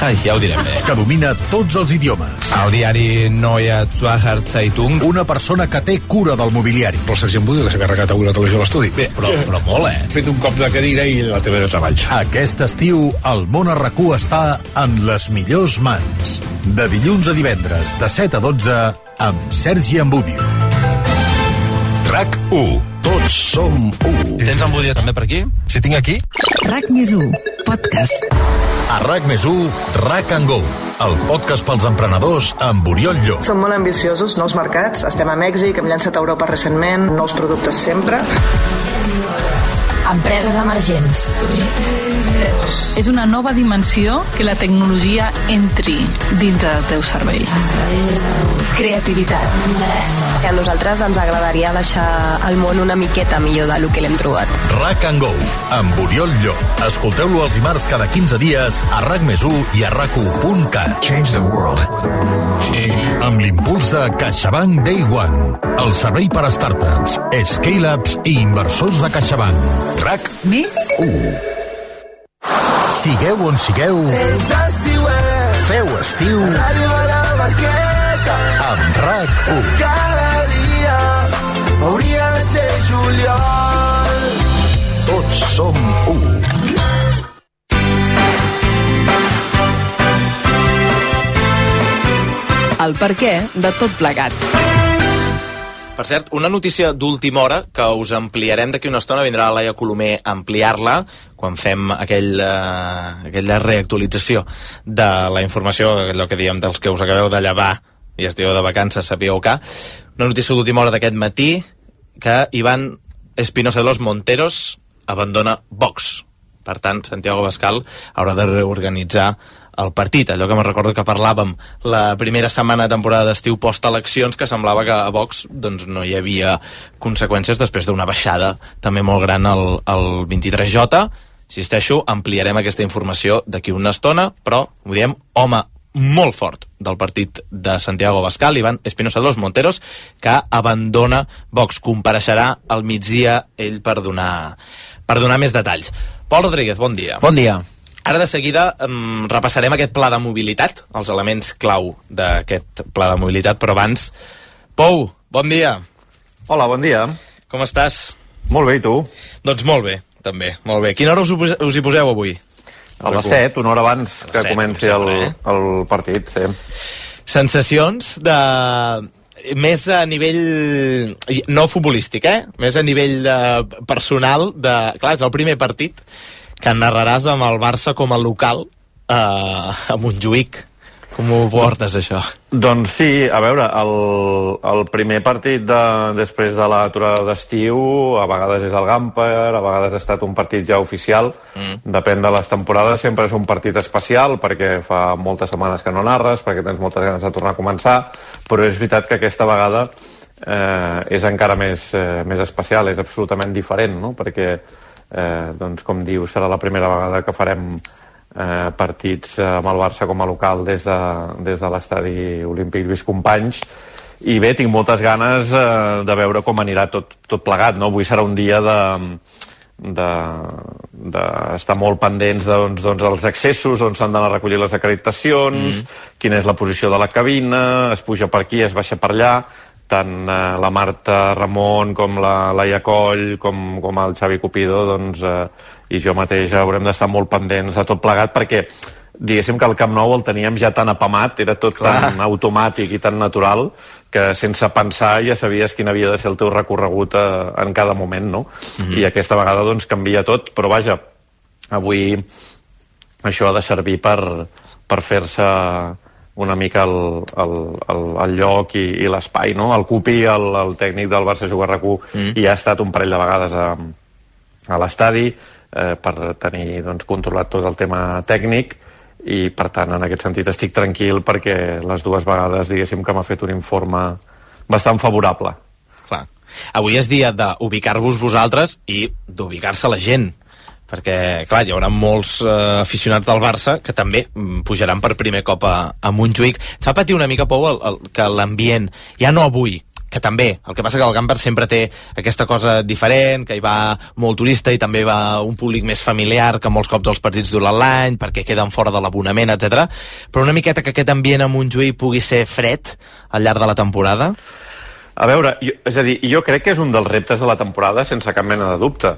Ai, ja ho direm bé. Que domina tots els idiomes. El diari Neue Zürcher Zeitung. Una persona que té cura del mobiliari. El Sergent Budi, que s'ha carregat avui la televisió a l'estudi. Bé, però molt, He fet un cop de cadira i la teva de treball. Aquest estiu, el món a RAC1 està en les millors mans. De dilluns a divendres, de 7 a 12, amb Sergi Ambudio. RAC1. Tots som 1. Tens Ambudio també per aquí? Si tinc aquí? RAC+1. podcast. A RAC+1, RAC & Go, el podcast pels emprenedors amb Oriol Llop. Som molt ambiciosos, nous mercats, estem a Mèxic, hem llançat a Europa recentment, nous productes sempre. Empreses emergents. És una nova dimensió que la tecnologia entri dintre del teu cervell. Creativitat. A nosaltres ens agradaria deixar el món una miqueta millor del que l'hem trobat. RAC & Go, amb Oriol Llop. Escolteu-lo els dimarts cada 15 dies a RAC+1 i a RAC1.cat. Change the world. Amb l'impuls de CaixaBank Day One, el servei per a startups, scale-ups i inversors de CaixaBank. RAC+1. Sigueu on sigueu, feu estiu amb RAC1. Cada dia hauria de ser juliol. Tots som u. El perquè de tot plegat. Per cert, una notícia d'última hora que us ampliarem d'aquí una estona. Vindrà la Laia Colomer a ampliar-la quan fem aquella reactualització de la informació, allò que diem dels que us acabeu de llevar i esteu de vacances, sapigueu que. Una notícia d'última hora d'aquest matí, que Iván Espinosa de los Monteros abandona Vox. Per tant, Santiago Abascal haurà de reorganitzar el partit, allò que me'n recordo que parlàvem la primera setmana de temporada d'estiu post-eleccions, que semblava que a Vox doncs, no hi havia conseqüències després d'una baixada també molt gran al 23J. Insisteixo, ampliarem aquesta informació d'aquí una estona, però ho diem, home molt fort del partit de Santiago Abascal, Iván Espinosa de los Monteros, que abandona Vox. Compareixerà al migdia ell per donar més detalls. Pol Rodríguez, bon dia. Bon dia. Ara de seguida repassarem aquest pla de mobilitat, els elements clau d'aquest pla de mobilitat, però abans, Pou, bon dia. Hola, bon dia. Com estàs? Molt bé, i tu? Doncs molt bé, també, molt bé. Quina hora us hi poseu avui? A les 7, una hora abans que comenci el partit, sí. Sensacions de... més a nivell no futbolístic, més a nivell personal de... Clar, és el primer partit que narraràs amb el Barça com a local a Montjuïc. Com ho portes, això? Doncs sí, a veure, el primer partit després de l'aturada d'estiu, a vegades és el Gamper, a vegades ha estat un partit ja oficial, depèn de les temporades, sempre és un partit especial, perquè fa moltes setmanes que no narres, perquè tens moltes ganes de tornar a començar, però és veritat que aquesta vegada és encara més especial, és absolutament diferent, no? Perquè doncs, com diu, serà la primera vegada que farem partits amb el Barça com a local des de l'estadi olímpic Lluís Companys, i bé, tinc moltes ganes de veure com anirà tot plegat, no? Avui serà un dia d'estar molt pendents dels accessos, on s'han d'anar a recollir les acreditacions, quina és la posició de la cabina, es puja per aquí, es baixa per allà, tant la Marta Ramon com la Laia Coll com el Xavi Cupido i jo mateix haurem d'estar molt pendents de tot plegat, perquè diguéssim que el Camp Nou el teníem ja tan apamat, era tot tan automàtic i tan natural que sense pensar ja sabies quin havia de ser el teu recorregut en cada moment, no? I aquesta vegada doncs canvia tot, però vaja, avui això ha de servir per fer-se una mica el lloc i l'espai, no? El Cupi, el tècnic del Barça Juga RAC1, i ha estat un parell de vegades a l'estadi per tenir controlat tot el tema tècnic, i per tant en aquest sentit estic tranquil perquè les dues vegades diguéssim que m'ha fet un informe bastant favorable. Clar. Avui és dia d'ubicar-vos vosaltres i d'ubicar-se la gent, perquè, clar, hi haurà molts aficionats del Barça que també pujaran per primer cop a Montjuïc. Et fa patir una mica, Pou, que l'ambient, ja no avui, que també, el que passa que el Gamper sempre té aquesta cosa diferent, que hi va molt turista i també va un públic més familiar que molts cops els partits durant l'any, perquè queden fora de l'abonament, etc. Però una miqueta que aquest ambient a Montjuïc pugui ser fred al llarg de la temporada? A veure, és a dir, jo crec que és un dels reptes de la temporada sense cap mena de dubte.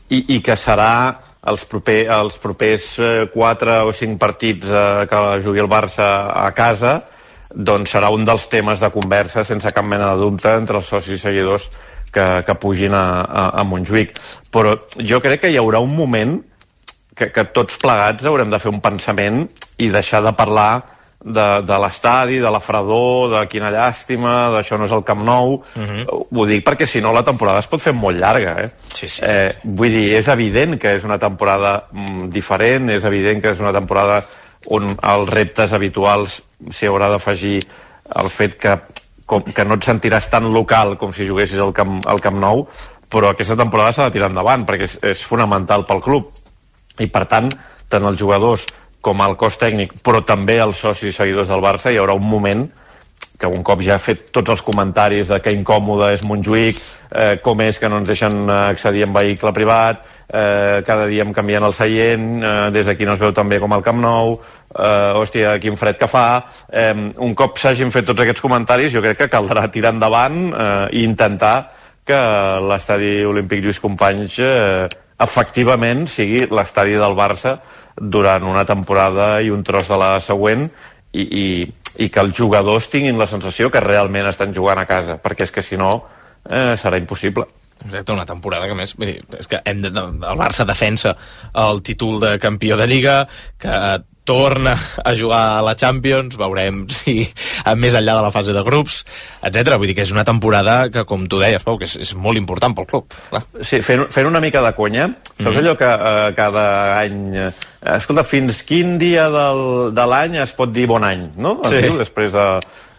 I que serà els propers 4 o 5 partits que jugui el Barça a casa, doncs serà un dels temes de conversa sense cap mena de dubte entre els socis i seguidors que pugin a Montjuïc. Però jo crec que hi haurà un moment que tots plegats haurem de fer un pensament i deixar de parlar de l'estadi, de la fredor, de quina llàstima, d'això no és el Camp Nou. Ho dic perquè si no la temporada es pot fer molt llarga, Sí. Vull dir, és evident que és una temporada diferent, és evident que és una temporada on els reptes habituals s'hi haurà d'afegir el fet que no et sentiràs tan local com si juguessis al Camp Nou, però aquesta temporada s'ha de tirar endavant perquè és fonamental pel club i per tant, tant els jugadors com el cos tècnic, però també els socis i seguidors del Barça, hi haurà un moment que un cop ja ha fet tots els comentaris de que incòmode és Montjuïc, com és que no ens deixen accedir en vehicle privat, cada dia em canvien el seient, des d'aquí no es veu tan bé com el Camp Nou, hòstia, quin fred que fa. Un cop s'hagin fet tots aquests comentaris, jo crec que caldrà tirar endavant i intentar que l'estadi Olímpic Lluís Companys efectivament sigui l'estadi del Barça durant una temporada i un tros de la següent i que els jugadors tinguin la sensació que realment estan jugant a casa, perquè és que si no serà impossible. Exacte, una temporada que més... És que el Barça defensa el títol de campió de Lliga, que torna a jugar a la Champions, veurem si més enllà de la fase de grups, etc. Vull dir que és una temporada que, com tu deies, Pau, que és molt important pel club. Clar. Sí, fent una mica de conya, saps allò que cada any... Escolta, fins quin dia de l'any es pot dir bon any, no? Sí. Després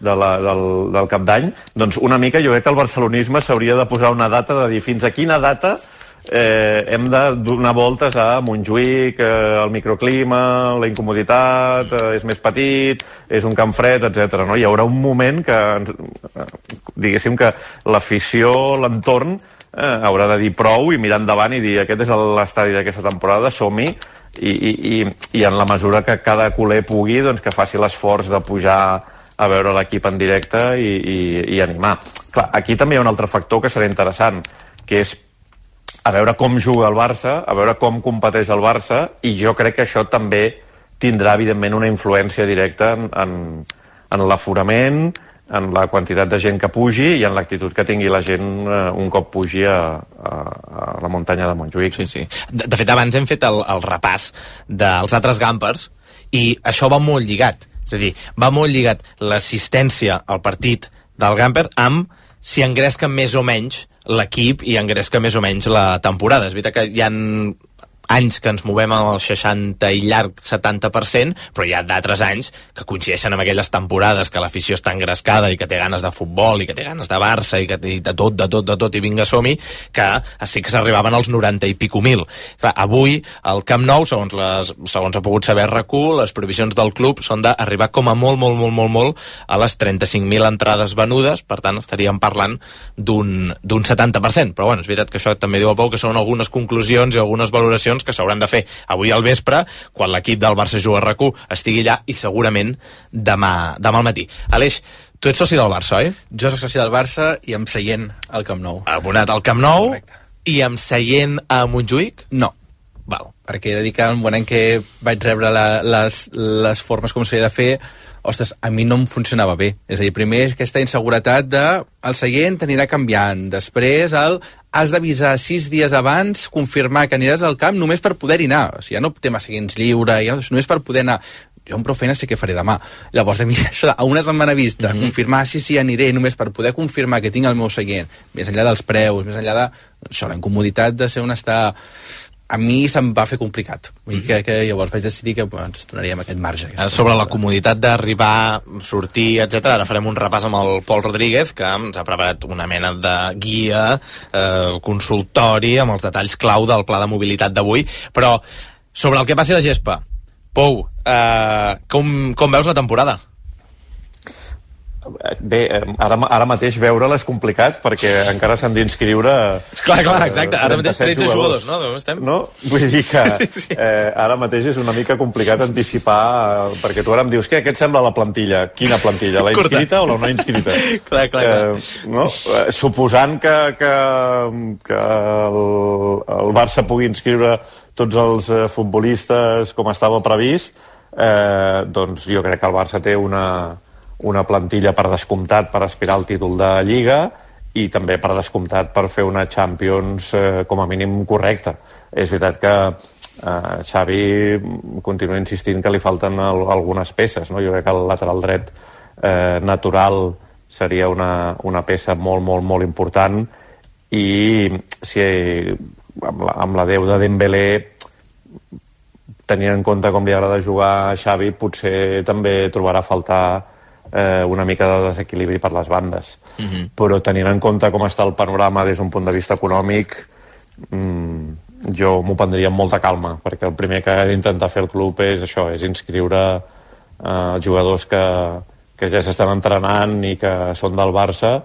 del cap d'any. Doncs una mica jo crec que el barcelonisme s'hauria de posar una data de dir fins a quina data hem de donar voltes a Montjuïc, el microclima, la incomoditat, és més petit, és un camp fred, etc. No? Hi haurà un moment que, diguéssim que l'afició, l'entorn, haurà de dir prou i mirar endavant i dir aquest és l'estadi d'aquesta temporada, som-hi, i en la mesura que cada culer pugui, doncs que faci l'esforç de pujar a veure l'equip en directe i animar. Clar, aquí també hi ha un altre factor que serà interessant, que és a veure com juga el Barça, a veure com competeix el Barça, i jo crec que això també tindrà, evidentment, una influència directa en l'aforament, en la quantitat de gent que pugi i en l'actitud que tingui la gent un cop pugi a la muntanya de Montjuïc. Sí. De fet, abans hem fet el repàs dels altres Gampers i això va molt lligat. És a dir, va molt lligat l'assistència al partit del Gamper amb si engresca més o menys l'equip i engresca més o menys la temporada. És veritat que hi ha anys que ens movem al 60 i llarg 70%, però hi ha d'altres anys que coincideixen amb aquelles temporades que l'afició està engrescada i que té ganes de futbol i que té ganes de Barça i que té de tot i vinga som-hi, que sí que s'arribaven als 90 i pico mil. Clar, avui el Camp Nou, segons ha pogut saber RAC1, les previsions del club són d'arribar com a molt a les 35.000 entrades venudes, per tant estaríem parlant d'un 70%, però bueno, és veritat que això també diu a Pau que són algunes conclusions i algunes valoracions que s'hauran de fer avui al vespre, quan l'equip del Barça juga a RAC1 estigui allà, i segurament demà al matí. Aleix, tu ets soci del Barça, oi? Jo soc soci del Barça i amb seient al Camp Nou. Abonat al Camp Nou. Correcte. I amb seient a Montjuïc? No. Val. Perquè he de dir que en bon any que vaig rebre les formes com s'havia de fer, ostres, a mi no em funcionava bé. És a dir, primer aquesta inseguretat de el seient anirà canviant, després has d'avisar 6 dies abans, confirmar que aniràs al camp només per poder-hi anar. O sigui, ja no té massa seients lliure, ja només per poder anar. Jo amb prou feina sé què faré demà. Llavors, a mi això a una setmana vista, confirmar sí, aniré, només per poder confirmar que tinc el meu seient, més enllà dels preus, més enllà de això, la incomoditat de ser on està... A mi se'm va fer complicat. Vull dir que llavors vaig decidir que ens donaríem aquest marge. Sobre la comoditat d'arribar, sortir, etc. Ara farem un repàs amb el Pol Rodríguez, que ens ha preparat una mena de guia, consultori, amb els detalls clau del pla de mobilitat d'avui. Però sobre el que passi a la gespa, Pou, com veus la temporada? Bé, ara mateix veure-la és complicat perquè encara s'han d'inscriure... Clar, exacte. Ara mateix 13 jugadors, no? No? Vull dir que ara mateix és una mica complicat anticipar, perquè tu ara em dius, què et sembla la plantilla? Quina plantilla? La inscrita o la no inscrita? Clar. No? Suposant que el Barça pugui inscriure tots els futbolistes com estava previst, doncs jo crec que el Barça té una plantilla per descomptat per aspirar al títol de Lliga i també per descomptat per fer una Champions com a mínim correcta. És veritat que Xavi continua insistint que li falten algunes peces, no? Jo crec que el lateral dret natural seria una peça molt, molt, molt important, i si amb la Déu de Dembélé, tenint en compte com li agrada jugar a Xavi, potser també trobarà a faltar una mica de desequilibri per les bandes. Però tenint en compte com està el panorama des d'un punt de vista econòmic, jo m'ho prendria amb molta calma, perquè el primer que ha d'intentar fer el club és això, és inscriure jugadors que ja s'estan entrenant i que són del Barça,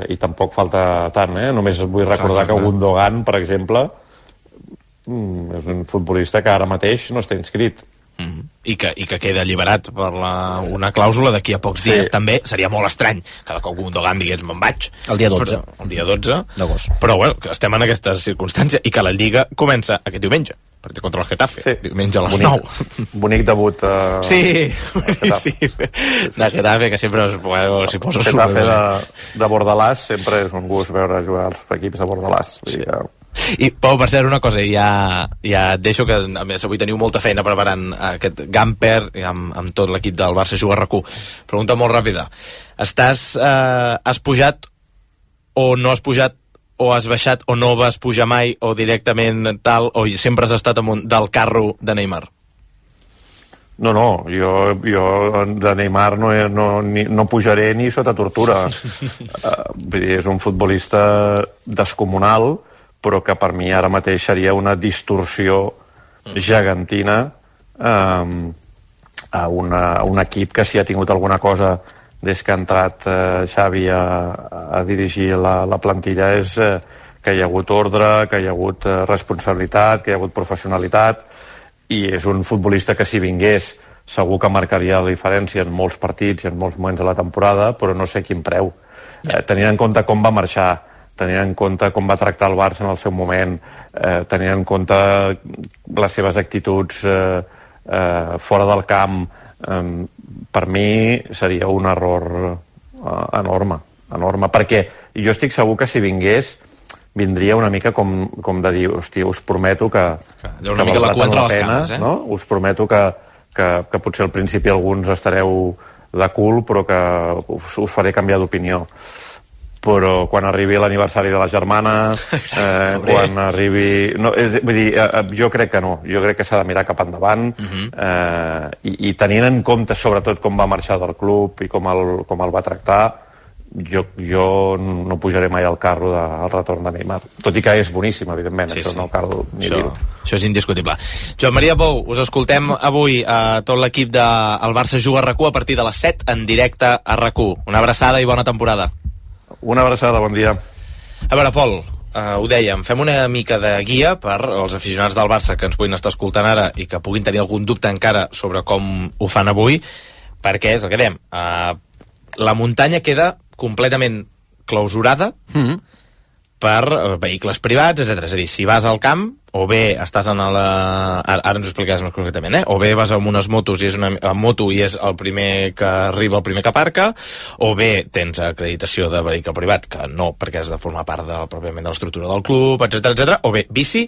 i tampoc falta tant, Només vull recordar que Gundogan, per exemple, és un futbolista que ara mateix no està inscrit. I que queda alliberat per una clàusula d'aquí a pocs dies. També seria molt estrany cada cop Gundogan digués me'n vaig el dia 12 d'agost, però bueno, que estem en aquestes circumstàncies i que la Lliga comença aquest diumenge, partit contra el Getafe, diumenge a les 9. Bonic debut sí, de Getafe, que sempre s'hi posa Getafe de Bordalàs, sempre és un gust veure jugar els equips de Bordalàs. I Pau, per cert, una cosa, ja et deixo, que a més avui teniu molta feina preparant aquest Gamper amb tot l'equip del Barça Juga RAC1. Pregunta molt ràpida, has pujat o no has pujat, o has baixat o no vas pujar mai, o directament tal, o sempre has estat amunt del carro de Neymar? No, jo de Neymar no pujaré ni sota tortura. Vull dir, és un futbolista descomunal, però que per mi ara mateix seria una distorsió gegantina a un equip que si ha tingut alguna cosa des que ha entrat Xavi a dirigir la plantilla és que hi ha hagut ordre, que hi ha hagut responsabilitat, que hi ha hagut professionalitat, i és un futbolista que si vingués segur que marcaria la diferència en molts partits i en molts moments de la temporada, però no sé quin preu. Tenint en compte com va marxar, tenint en compte com va tractar el Barça en el seu moment, tenint en compte les seves actituds fora del camp, per mi seria un error enorme, perquè jo estic segur que si vingués vindria una mica com de dir, hòstia, us prometo que una mica la cua entre les cames, no? Us prometo que potser al principi alguns estareu de cul, però que us faré canviar d'opinió. Però quan arribi l'aniversari de la germana, quan arribi... Vull dir, jo crec que no. Jo crec que s'ha de mirar cap endavant, i tenint en compte sobretot com va marxar del club i com el va tractar, jo no pujaré mai al carro del retorn de Neymar. Tot i que és boníssim, evidentment, això no cal ni dir-ho. Això és indiscutible. Joan Maria Pou, us escoltem avui a tot l'equip del Barça Juga RAC1 a partir de les 7 en directe a RAC1. Una abraçada i bona temporada. Una abraçada, bon dia. A veure, Pol, ho dèiem, fem una mica de guia per als aficionats del Barça que ens puguin estar escoltant ara i que puguin tenir algun dubte encara sobre com ho fan avui, perquè és el que dèiem, la muntanya queda completament clausurada per vehicles privats, etc. És a dir, si vas al camp, o bé estàs en ara ens ho explicaràs més concretament, o bé vas amb unes motos i és una moto i és el primer que arriba, el primer que aparca, o bé tens acreditació de vehicle privat, que no, perquè has de formar part pròpiament de l'estructura del club, etc, o bé bici,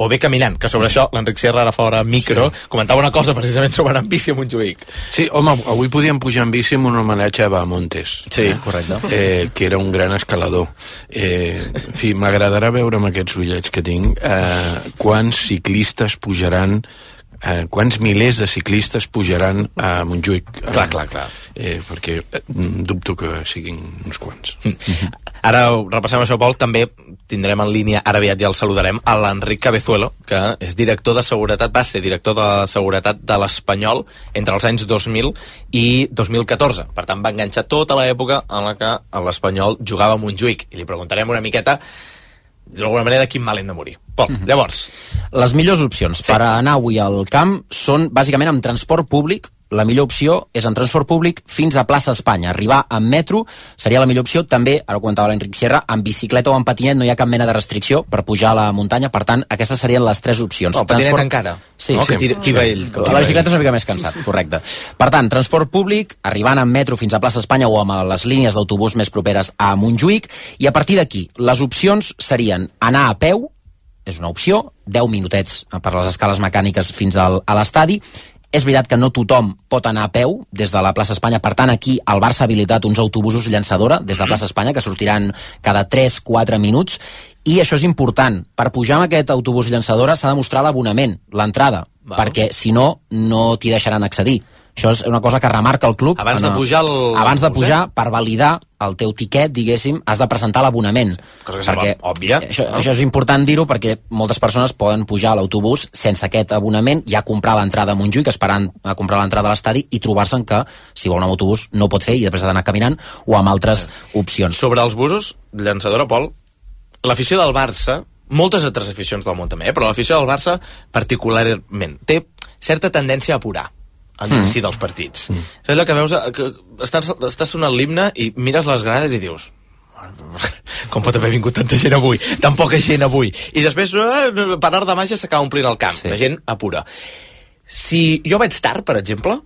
o bé caminant, que sobre això l'Enric Sierra ara fora micro comentava una cosa precisament sobre anar amb bici a Montjuïc. Sí, home, avui podíem pujar amb bici amb un homenatge a Bahamontes. Sí, correcte. Que era un gran escalador. En fi, m'agradarà veure amb aquests ullets que tinc quants ciclistes pujaran, quants milers de ciclistes pujaran a Montjuïc. Clar. Perquè dubto que siguin uns quants. Ara repassem això, Pol. També tindrem en línia, ara aviat ja el saludarem, a l'Enric Cabezuelo, que és director de seguretat, va ser director de seguretat de l'Espanyol entre els anys 2000 i 2014. Per tant, va enganxar tota l'època en la que l'Espanyol jugava a Montjuïc. I li preguntarem una miqueta d'alguna manera de quin mal hem de morir. Pol, llavors... Les millors opcions per anar avui al camp són bàsicament amb transport públic. La millor opció és en transport públic fins a plaça Espanya. Arribar amb metro seria la millor opció. També, ara ho comentava l'Enric Sierra, amb bicicleta o amb patinet no hi ha cap mena de restricció per pujar a la muntanya. Per tant, aquestes serien les 3 opcions. El patinet encara? Sí. No? Que tira ell. La bicicleta és una mica més cansat, correcte. Per tant, transport públic, arribant amb metro fins a plaça Espanya o amb les línies d'autobús més properes a Montjuïc. I a partir d'aquí, les opcions serien anar a peu, és una opció, 10 minutets per les escales mecàniques fins a l'estadi. És veritat que no tothom pot anar a peu des de la plaça Espanya, per tant aquí el Barça ha habilitat uns autobusos llançadora des de la plaça Espanya que sortiran cada 3-4 minuts, i això és important. Per pujar amb aquest autobús llançadora s'ha de mostrar l'abonament, l'entrada, perquè si no, no t'hi deixaran accedir. Això és una cosa que remarca el club. Abans de pujar, per validar el teu tiquet, diguéssim, has de presentar l'abonament. Cosa que sembla òbvia. Això és important dir-ho perquè moltes persones poden pujar a l'autobús sense aquest abonament, ja comprar l'entrada a Montjuïc, esperant a comprar l'entrada a l'estadi i trobar-se'n que, si vol anar amb autobús, no pot fer i després ha d'anar caminant o amb altres opcions. Sobre els busos, llançadora, Pol, l'afició del Barça, moltes altres aficions del món també, però l'afició del Barça particularment té certa tendència a apurar a l'inici dels partits. És allò que veus, que estàs sonant l'himne i mires les grades i dius, com pot haver vingut tanta gent avui, tan poca gent avui, i després per art de màgia s'acaba omplint el camp, la gent apura. Si jo vaig tard, per exemple,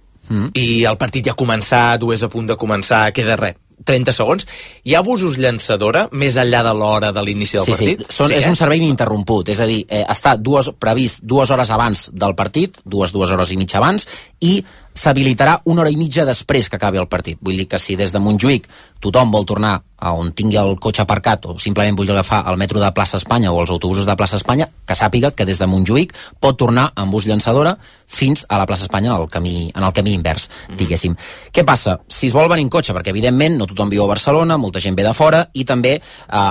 i el partit ja ha començat o és a punt de començar, queda res, 30 segons, hi ha busos llançadora més enllà de l'hora de l'inici del partit? És un servei ininterromput, és a dir, està previst 2 hores abans del partit, 2 hores i mitja abans, i s'habilitarà 1 hora i mitja després que acabi el partit. Vull dir que si des de Montjuïc tothom vol tornar a on tingui el cotxe aparcat o simplement vull agafar el metro de Plaça Espanya o els autobusos de Plaça Espanya, que sàpiga que des de Montjuïc pot tornar amb bus llançadora fins a la Plaça Espanya en el camí invers, diguéssim. Què passa? Si es vol venir en cotxe, perquè evidentment no tothom viu a Barcelona, molta gent ve de fora, i també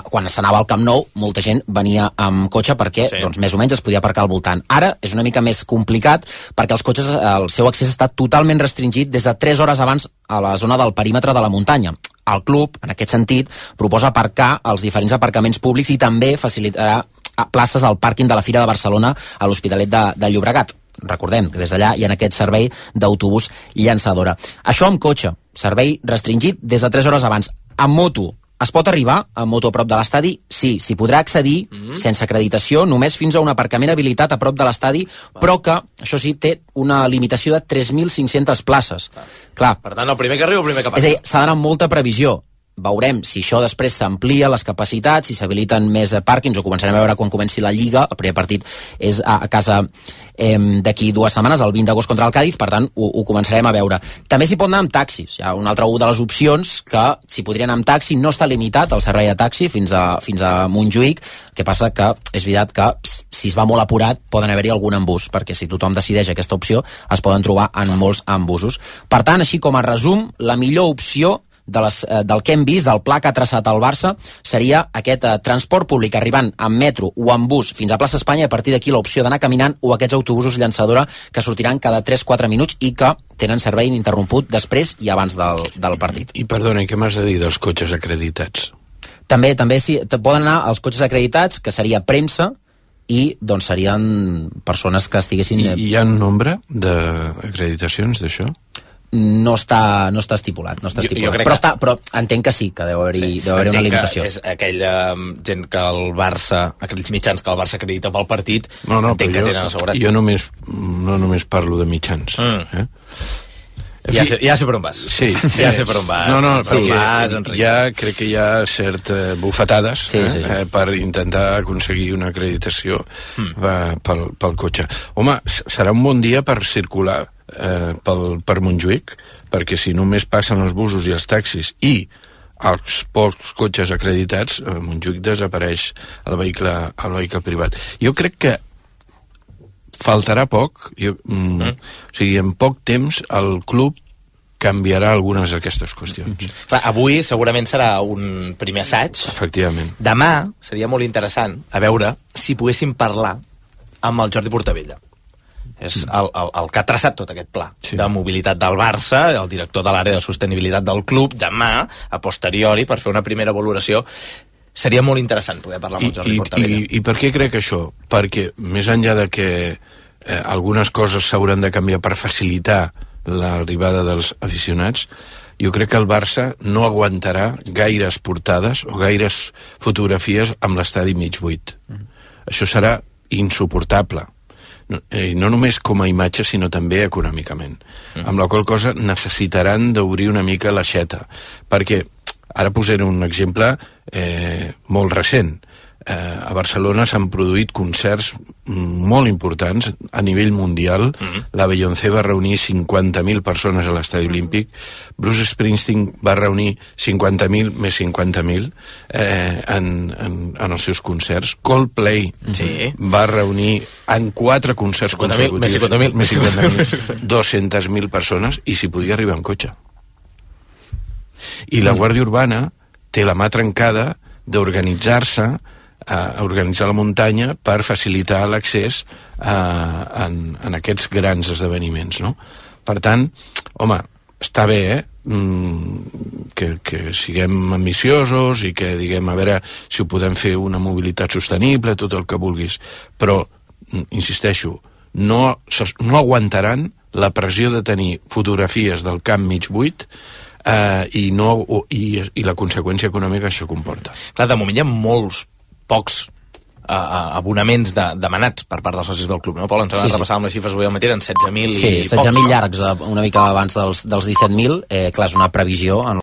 quan s'anava al Camp Nou molta gent venia amb cotxe perquè doncs, més o menys es podia aparcar al voltant. Ara és una mica més complicat perquè els cotxes, el seu accés està totalment restringit des de 3 hores abans a la zona del perímetre de la muntanya. El club, en aquest sentit, proposa aparcar als diferents aparcaments públics i també facilitarà places al pàrquing de la Fira de Barcelona a l'Hospitalet de Llobregat. Recordem que des d'allà hi ha aquest servei d'autobús llançadora. Això amb cotxe, servei restringit des de 3 hores abans. Amb moto, es pot arribar amb moto a prop de l'estadi? Sí, s'hi podrà accedir sense acreditació, només fins a un aparcament habilitat a prop de l'estadi, però que, això sí, té una limitació de 3.500 places. Clar. Per tant, el primer que arriba, el primer que passa. És a dir, s'ha d'anar amb molta previsió. Veurem si això després s'amplia les capacitats, si s'habiliten més pàrquings, o començarem a veure quan comenci la Lliga. El primer partit és a casa d'aquí 2 setmanes, el 20 d'agost contra el Càdiz, per tant ho començarem a veure. També s'hi pot anar amb taxis. Hi ha una altra de les opcions que s'hi podria anar amb taxi, no està limitat el servei de taxi fins a Montjuïc. El que passa que és veritat que si es va molt apurat poden haver-hi algun embús, perquè si tothom decideix aquesta opció es poden trobar en molts embusos. Per tant, així com a resum, la millor opció del que hem vist, del pla que ha traçat el Barça, seria aquest transport públic arribant amb metro o amb bus fins a Plaça Espanya, i a partir d'aquí l'opció d'anar caminant o aquests autobusos llançadora que sortiran cada 3-4 minuts i que tenen servei ininterromput després i abans del partit. I perdona, què m'has de dir dels cotxes acreditats? També sí, poden anar els cotxes acreditats, que seria premsa, i doncs serien persones que estiguessin... I hi ha un nombre d'acreditacions d'això? No està estipulat, però entenc que sí, que deu haver-hi una limitació. És aquella gent que el Barça, aquells mitjans que el Barça acredita pel partit, entenc que tenen assegurat. Jo no només parlo de mitjans. Ja sé per on vas. Sí. Ja sé per on vas. Ja crec que hi ha certes bufetades per intentar aconseguir una acreditació pel cotxe. Home, serà un bon dia per circular per Montjuïc, perquè si només passen els busos i els taxis i els pocs cotxes acreditats, a Montjuïc desapareix el vehicle privat. Jo crec que faltarà poc, o sigui, en poc temps el club canviarà algunes d'aquestes qüestions. Avui segurament serà un primer assaig. Efectivament. Demà seria molt interessant a veure si poguéssim parlar amb el Jordi Portabella. És el que ha traçat tot aquest pla de mobilitat del Barça, el director de l'àrea de sostenibilitat del club. Demà, a posteriori, per fer una primera valoració, seria molt interessant poder parlar amb el Jordi Portabella. I per què crec això? Perquè més enllà de que algunes coses s'hauran de canviar per facilitar l'arribada dels aficionats, jo crec que el Barça no aguantarà gaires portades o gaires fotografies amb l'estadi mig buit. Això serà insuportable. No només com a imatge, sinó també econòmicament. Amb la qual cosa necessitaran d'obrir una mica l'aixeta. Perquè, ara posaré un exemple molt recent. a Barcelona s'han produït concerts molt importants a nivell mundial. La Beyoncé va reunir 50.000 persones a l'Estadi Olímpic, Bruce Springsteen va reunir 50.000 més 50.000 en els seus concerts. Coldplay va reunir en 4 concerts consecutius 200.000 persones, i s'hi podia arribar en cotxe. I la Guàrdia Urbana té la mà trencada d'organitzar-se, a organitzar la muntanya per facilitar l'accés en aquests grans esdeveniments, no? Per tant, home, està bé, que siguem ambiciosos i que diguem, a veure si ho podem fer una mobilitat sostenible, tot el que vulguis, però, insisteixo, no aguantaran la pressió de tenir fotografies del camp mig buit i la conseqüència econòmica que això comporta. Clar, de moment hi ha pocs abonaments demanats per part dels socis del club, no, Pol? Ens vam repassar amb les xifres avui al matí, eren 16.000 i pocs. Sí, 16.000 llargs, una mica abans dels 17.000. Clar, és una previsió en